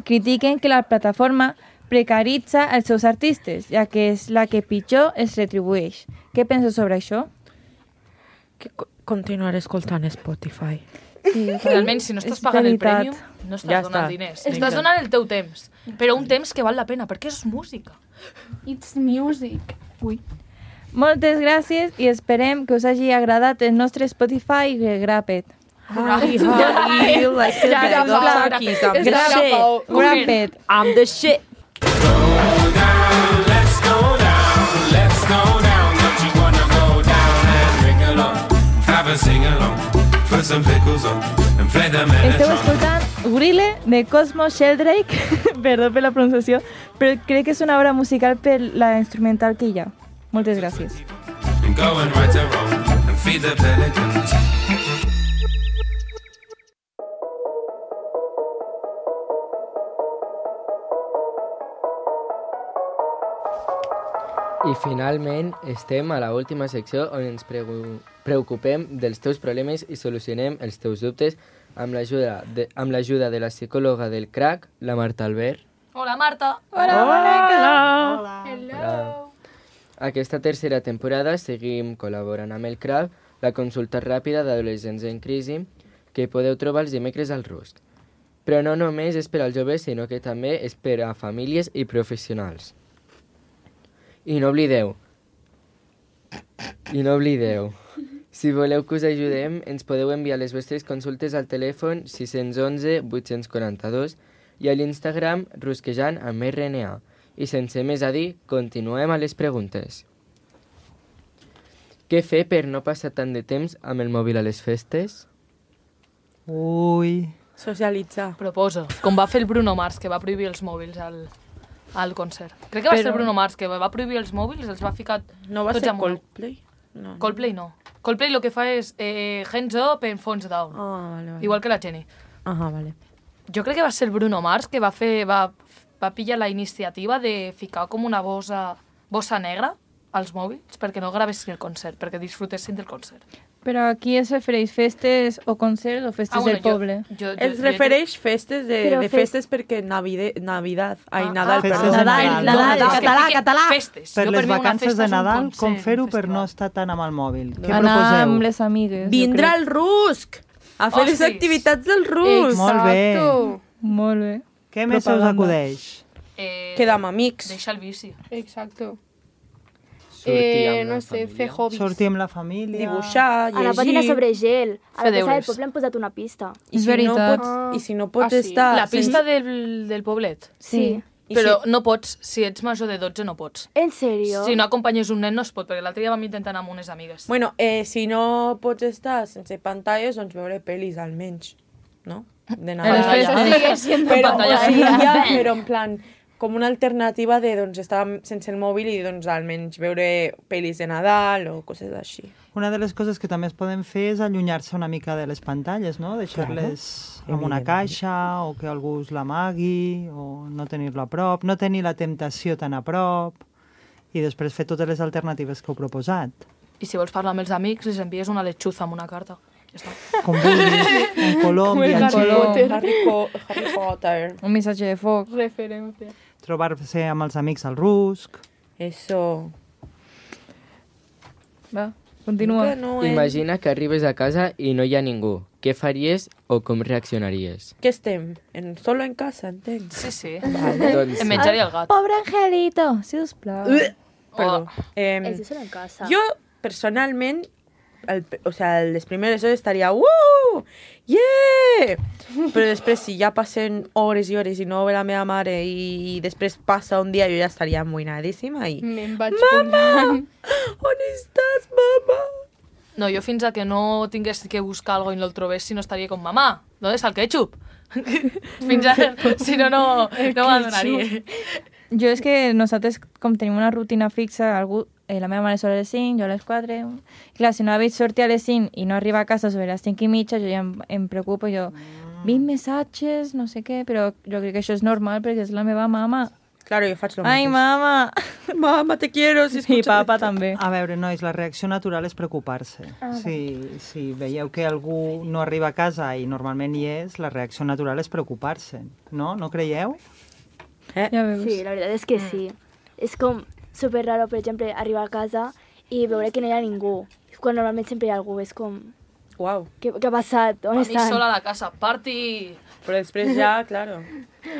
critiquen que la plataforma precaritza els seus artistes, ja que és la que pitjor els retribueix. Què penso sobre això? Que continuar escoltant Spotify. Sí, realment, si no estàs pagant el prèmium, no estàs Ja donant està. diners. Estàs donant el teu temps, però un temps que val la pena, perquè és música. It's music. Ui. Moltes gràcies i esperem que us hagi agradat el nostre Spotify Grappet. Hi, hi, like the bag of turkeys, I'm the shit. Grappet. I'm the shit. Let's go down, let's go down. Don't you wanna go down and ring along? Have a sing along, put some pickles on and play the Esteu Metatron. escoltant Gorille de Cosmo Sheldrake, perdó per la pronunciació, però crec que és una obra musical per la instrumental que hi ha. Moltes gràcies. And go and right and wrong and feed the pelicans. I finalment estem a la última secció on ens pregu- preocupem dels teus problemes i solucionem els teus dubtes amb l'ajuda de, amb l'ajuda de la psicòloga del crack, la Marta Albert. Hola, Marta. Hola, Hola. Hello. Aquesta tercera temporada seguim col·laborant amb el C R A B, la consulta ràpida d'adolescents en crisi, que podeu trobar els dimecres al Rusc. Però no només és per als joves, sinó que també és per a famílies i professionals. I no oblideu, i no oblideu, si voleu que us ajudem, ens podeu enviar les vostres consultes al telèfon sis u un vuit quatre dos i a l'Instagram rusquejant amb R N A. I sense més a dir, continuem a les preguntes. Què fer per no passar tant de temps amb el mòbil a les festes? Ui. Socialitzar. Proposa. Com va fer el Bruno Mars, que va prohibir els mòbils al, al concert. Crec que va Però- ser el Bruno Mars, que va prohibir els mòbils, els va ficar No va tots ser amunt. Coldplay? No. Coldplay no. Coldplay el que fa és eh, hands up en phones down. Ah, vale, vale. Igual que la Jenny. Ah, vale. Jo crec que va ser el Bruno Mars que va fer va, va pillar la iniciativa de ficar com una bossa, bossa negra als mòbils perquè no gravessin el concert, perquè disfrutessin del concert. Però aquí es refereix festes o concerts o festes Ah, bueno, del poble? Jo, jo, Es refereix festes de, Però de fes- festes perquè Navide, Navidad, ai, Ah, Nadal, ah, perdó. festes de Nadal. Nadal, No, català, que fiquen català. Festes. Per Jo, les mi una vacances festa de és un Nadal, concert, com fer-ho un per festival. no estar tant amb el mòbil? Què Anar proposeu? amb les amigues. Vindrà el Rusc a fer les Hostis. activitats del Rusc. Molt bé. Molt bé. Què més se us Propaganda. acudeix? Eh, Quedar amb amics. Deixa el vici. Exacto. Sortir Eh, amb no la sé, família. fer hobbies. Sortir amb la família... Dibuixar, llegir... Anar a patinar sobre gel. A Fer la plaça del deures. poble han posat una pista. I És si no veritat. pots, I si no pots Ah, sí. estar... La pista sense- del, del poblet. Sí. I Però si- no pots, si ets major de dotze no pots. En sèrio? Si no acompanyes un nen no es pot, perquè l'altre dia vam intentar anar amb unes amigues. Bueno, eh, si no pots estar sense pantalles, doncs veure pel·lis almenys, no? De En Nadal. les festes Sigue siendo Però, pantalla. sí, ja, però en plan, com una alternativa de doncs, estar sense el mòbil i doncs, almenys veure pel·lis de Nadal o coses així. Una de les coses que també es poden fer és allunyar-se una mica de les pantalles, no? Deixar-les en una caixa o que algú us l'amagui o no tenir-lo a prop, no tenir la temptació tan a prop i després fer totes les alternatives que heu proposat. I si vols parlar amb els amics, les envies una letxuza amb una carta. Ja està. Com vulguis, en colom, Com el viatger, Harry Potter. Harry, Co Harry Potter. Un missatge de foc. Referència. trobar-se amb els amics al rusc... Eso. Va, continua. Que no és... Imagina que arribes a casa i no hi ha ningú. Què faries o com reaccionaries? Què estem? En, solo en casa, entenc. Sí, sí. Doncs Em menjaria el gat. Pobre Angelito, sisplau. Perdó. Eh, Eso solo en casa. jo, personalment, el, o sea, les primeres hores estaria «Uh! Yeah!» Però després, si ja passen hores i hores i no ve la meva mare i, i després passa un dia, jo ja estaria amoïnadíssima i... Me'n vaig Mama! On estàs, mama? No, jo fins a que no tingués que buscar algo i no el trobés, si no estaria com mamà, ¿dónde está el ketchup? Fins a... Si no, no, no m'adonaria. Jo és que nosaltres, com tenim una rutina fixa, algú, eh, la meva mare surt a les cinc, jo a les quatre... Clar, si no la veig sortir a les cinc i no arriba a casa sobre les cinc i mitja, jo ja em, em preocupo, jo... vint missatges, no sé què, però jo crec que això és normal perquè és la meva mama. Claro, jo faig lo Ai, mateix. mama! Mama, te quiero. Si I papa també. A veure, nois, la reacció natural és preocupar-se. Ah, si, si veieu que algú no arriba a casa i normalment hi és, la reacció natural és preocupar-se. No? No creieu? Eh? Ja veus. Sí, la veritat és que sí. És com super raro, per exemple, arribar a casa i veure que no hi ha ningú. Quan normalment sempre hi ha algú, és com... Uau. Què, què ha passat? On A mi estan? sola a la casa, party! Però després ja, claro.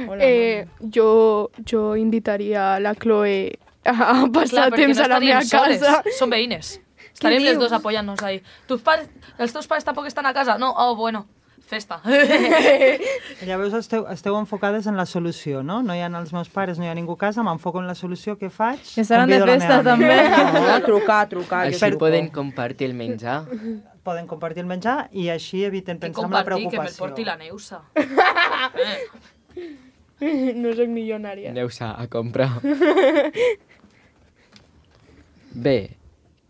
Hola, Eh, jo, jo invitaria la Chloe a passar Clar, perquè temps no a la meva estaríem casa. soles, som veïnes. Estaríem les dius? dos apoyant-nos ahí. Tus pares, els teus pares tampoc estan a casa? No? Oh, bueno, festa. Llavors esteu, esteu enfocades en la solució, no? No hi ha els meus pares, no hi ha ningú a casa, m'enfoco en la solució, què faig? Que estaran de Convido la festa, meva amiga. també. No, trucar, trucar. Així jo truco. poden compartir el menjar. Poden compartir el menjar i així eviten I pensar en la compartir, que me'l preocupació. porti la Neusa. No soc milionària. Aneu-se a comprar. Bé,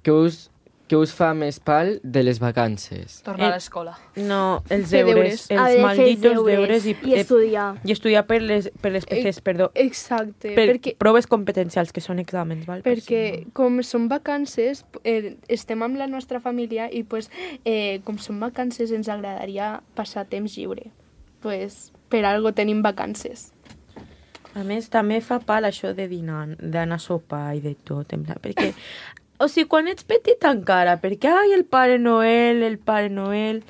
què us, què us fa més pal de les vacances? Tornar Eh, a l'escola. No, els Fer deures, deures. Haver els de fer malditos deures deures i, i estudiar. I estudiar per les, per les P Cs, perdó. Exacte, Per perquè, proves competencials, que són exàmens, val? Per perquè si com són vacances, eh, estem amb la nostra família i pues, eh, com són vacances ens agradaria passar temps lliure. Pues, per algo tenim vacances. no. A més, també fa pal això de dinar, d'anar a sopar i de tot, en plan, perquè... O sigui, quan ets petit encara, perquè, ai, el Pare Noel, el Pare Noel...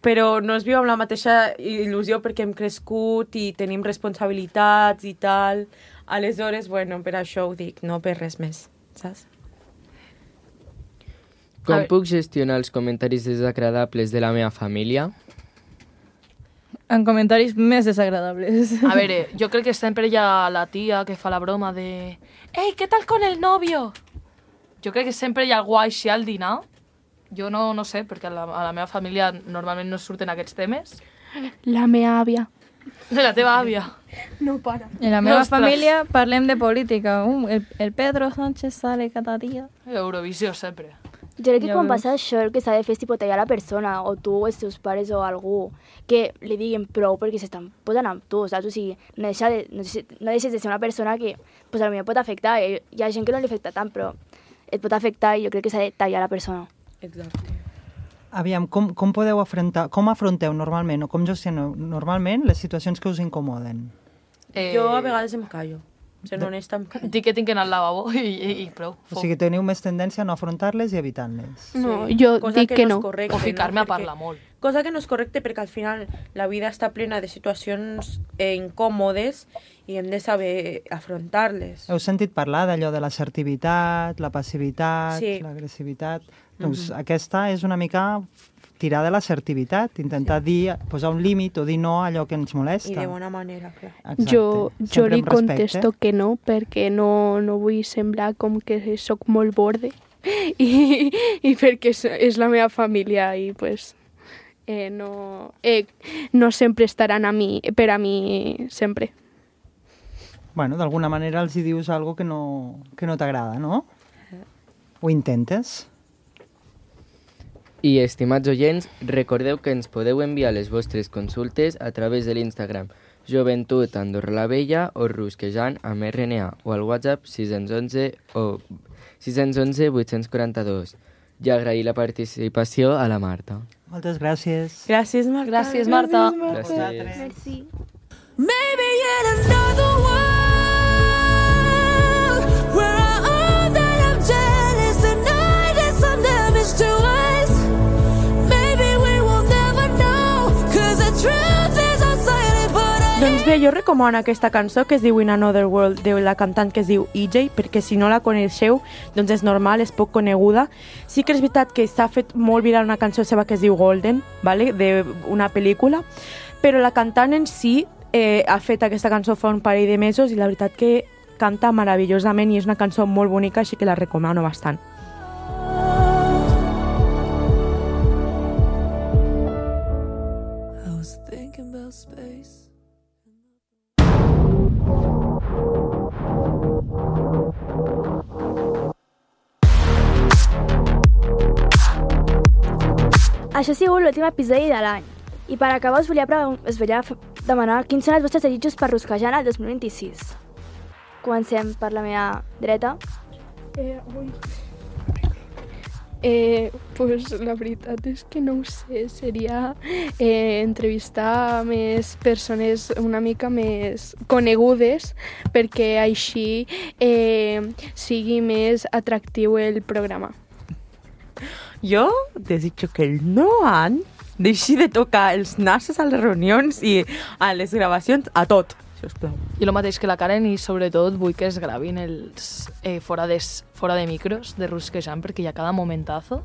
Però no es viu amb la mateixa il·lusió perquè hem crescut i tenim responsabilitats i tal. Aleshores, bueno, per això ho dic, no per res més, saps? Com veure. puc gestionar els comentaris desagradables de la meva família? En comentaris més desagradables. A veure, jo crec que sempre hi ha la tia que fa la broma de «Ei, què tal con el novio?» Jo crec que sempre hi ha algú així al dinar. Jo no, no sé, perquè a la, a la meva família normalment no surten aquests temes. La meva àvia. De la teva àvia. No para. En la meva Ostres. família parlem de política. Uh, el, el Pedro Sánchez sale cada dia. Eurovisió sempre. Jo crec que Ja quan veus. passa això el que s'ha de fer és tipo, tallar la persona, o tu, o els teus pares, o algú, que li diguin prou perquè s'estan posant amb tu, saps? O sigui, no, deixa de, no, deixes, no deixes de ser una persona que pues, a mi pot afectar. Hi ha gent que no li afecta tant, però et pot afectar i jo crec que s'ha de tallar la persona. Exacte. Aviam, com, com podeu afrontar, com afronteu normalment o com gestioneu normalment les situacions que us incomoden? Eh, Jo a vegades em callo. Sent honesta, em callo. Dic que tinc que anar al lavabo i, i, i prou. O sigui, teniu més tendència a no afrontar-les i evitant-les. No, jo Cosa dic que no. no. És correcte, O ficar-me a Perquè- parlar molt. Cosa que no és correcte perquè al final la vida està plena de situacions eh, incòmodes i hem de saber afrontar-les. Heu sentit parlar d'allò de l'assertivitat, la passivitat, Sí. l'agressivitat? Doncs aquesta és una mica tirar de l'assertivitat, intentar dir, posar un límit o dir no a allò que ens molesta. I de bona manera, clar. Exacte. Jo, jo Sempre li amb respecte. contesto que no, perquè no, no vull semblar com que sóc molt borde i, i perquè és, és la meva família i pues, eh, no, eh, no sempre estaran a mi, per a mi sempre. Bueno, d'alguna manera els hi dius algo que no, que no t'agrada, no? Ho intentes? I, estimats oients, recordeu que ens podeu enviar les vostres consultes a través de l'Instagram Joventut Andorra la Vella o Rusquejant amb R N A o al WhatsApp sis onze o sis onze vuit quaranta dos. I agrair la participació a la Marta. Moltes gràcies. Gràcies, Marta. Gràcies, Marta. Gràcies. Merci. Maybe in another world where I all that I'm jealous and I did some damage to us. Maybe we will never know, cause the truth is unsilent, but I Doncs bé, jo recomano aquesta cançó que es diu In Another World, de la cantant que es diu E J, perquè si no la coneixeu, doncs és normal, és poc coneguda. Sí que és veritat que s'ha fet molt viral una cançó seva que es diu Golden, vale? D'una pel·lícula, però la cantant en si eh, ha fet aquesta cançó fa un parell de mesos i la veritat que canta meravellosament i és una cançó molt bonica, així que la recomano bastant. I was thinking about space. Això ha sigut l'últim episodi de l'any. I per acabar us volia, pre- us volia f- demanar quins són els vostres desitjos per Rusquejant el dos mil vint-i-sis. Comencem per la meva dreta. Eh, ui. Eh, pues la veritat és que no ho sé, seria eh, entrevistar més persones una mica més conegudes perquè així eh, sigui més atractiu el programa. Jo desitjo que el nou any deixi de tocar els nassos a les reunions i a les gravacions, a tot, si us plau. I el mateix que la Karen i sobretot vull que es gravin els eh, fora, de, fora de micros de Rusquejant perquè hi ha cada momentazo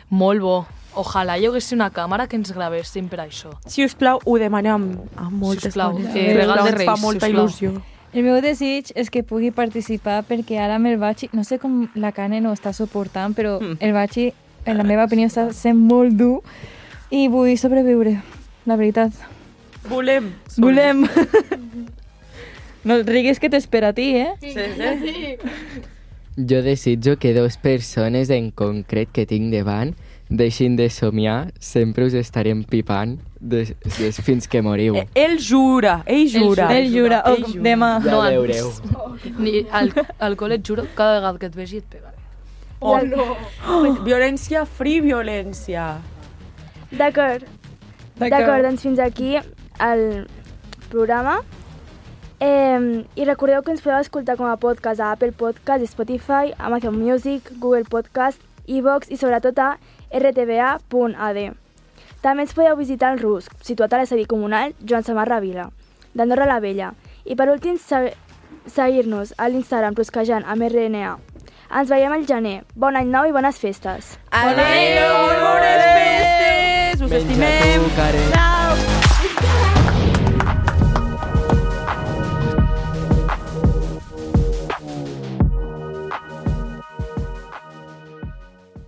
molt bo. Ojalà hi hagués una càmera que ens gravessin per això. Si us plau, ho demanem amb, amb moltes Sisplau, coses. que regal de Ens Reis, fa molta sisplau. il·lusió. El meu desig és que pugui participar perquè ara amb el Bachi, no sé com la Karen ho està suportant, però Mm. el Bachi, en la meva opinió, està sent molt dur i vull sobreviure, la veritat. Volem. Volem. No et riguis que t'espera a ti, eh? Sí, sí. Jo desitjo que dues persones en concret que tinc davant deixin de somiar, sempre us estarem pipant des, des fins que moriu. Eh, Ell jura, ell jura. Ell jura, Ell oh, jura. demà. Ja No, veureu. Ni al, alcohol et juro, cada vegada que et vegi et pegaré. Oh, oh, violència, free violència. D'acord. D'acord, doncs fins aquí el programa. Eh, I recordeu que ens podeu escoltar com a podcast a Apple Podcast, Spotify, Amazon Music, Google Podcast, iVoox i sobretot a r t v a punt a d. També ens podeu visitar el Rusc, situat a l'estadi comunal Joan Samarra Vila, d'Andorra la Vella. I per últim, se- seguir-nos a l'Instagram Rusquejant amb R N A. Ens veiem al gener. Bon any nou i bones festes. Adéu, bones festes! Us Menja estimem. tu, Karen. Bye.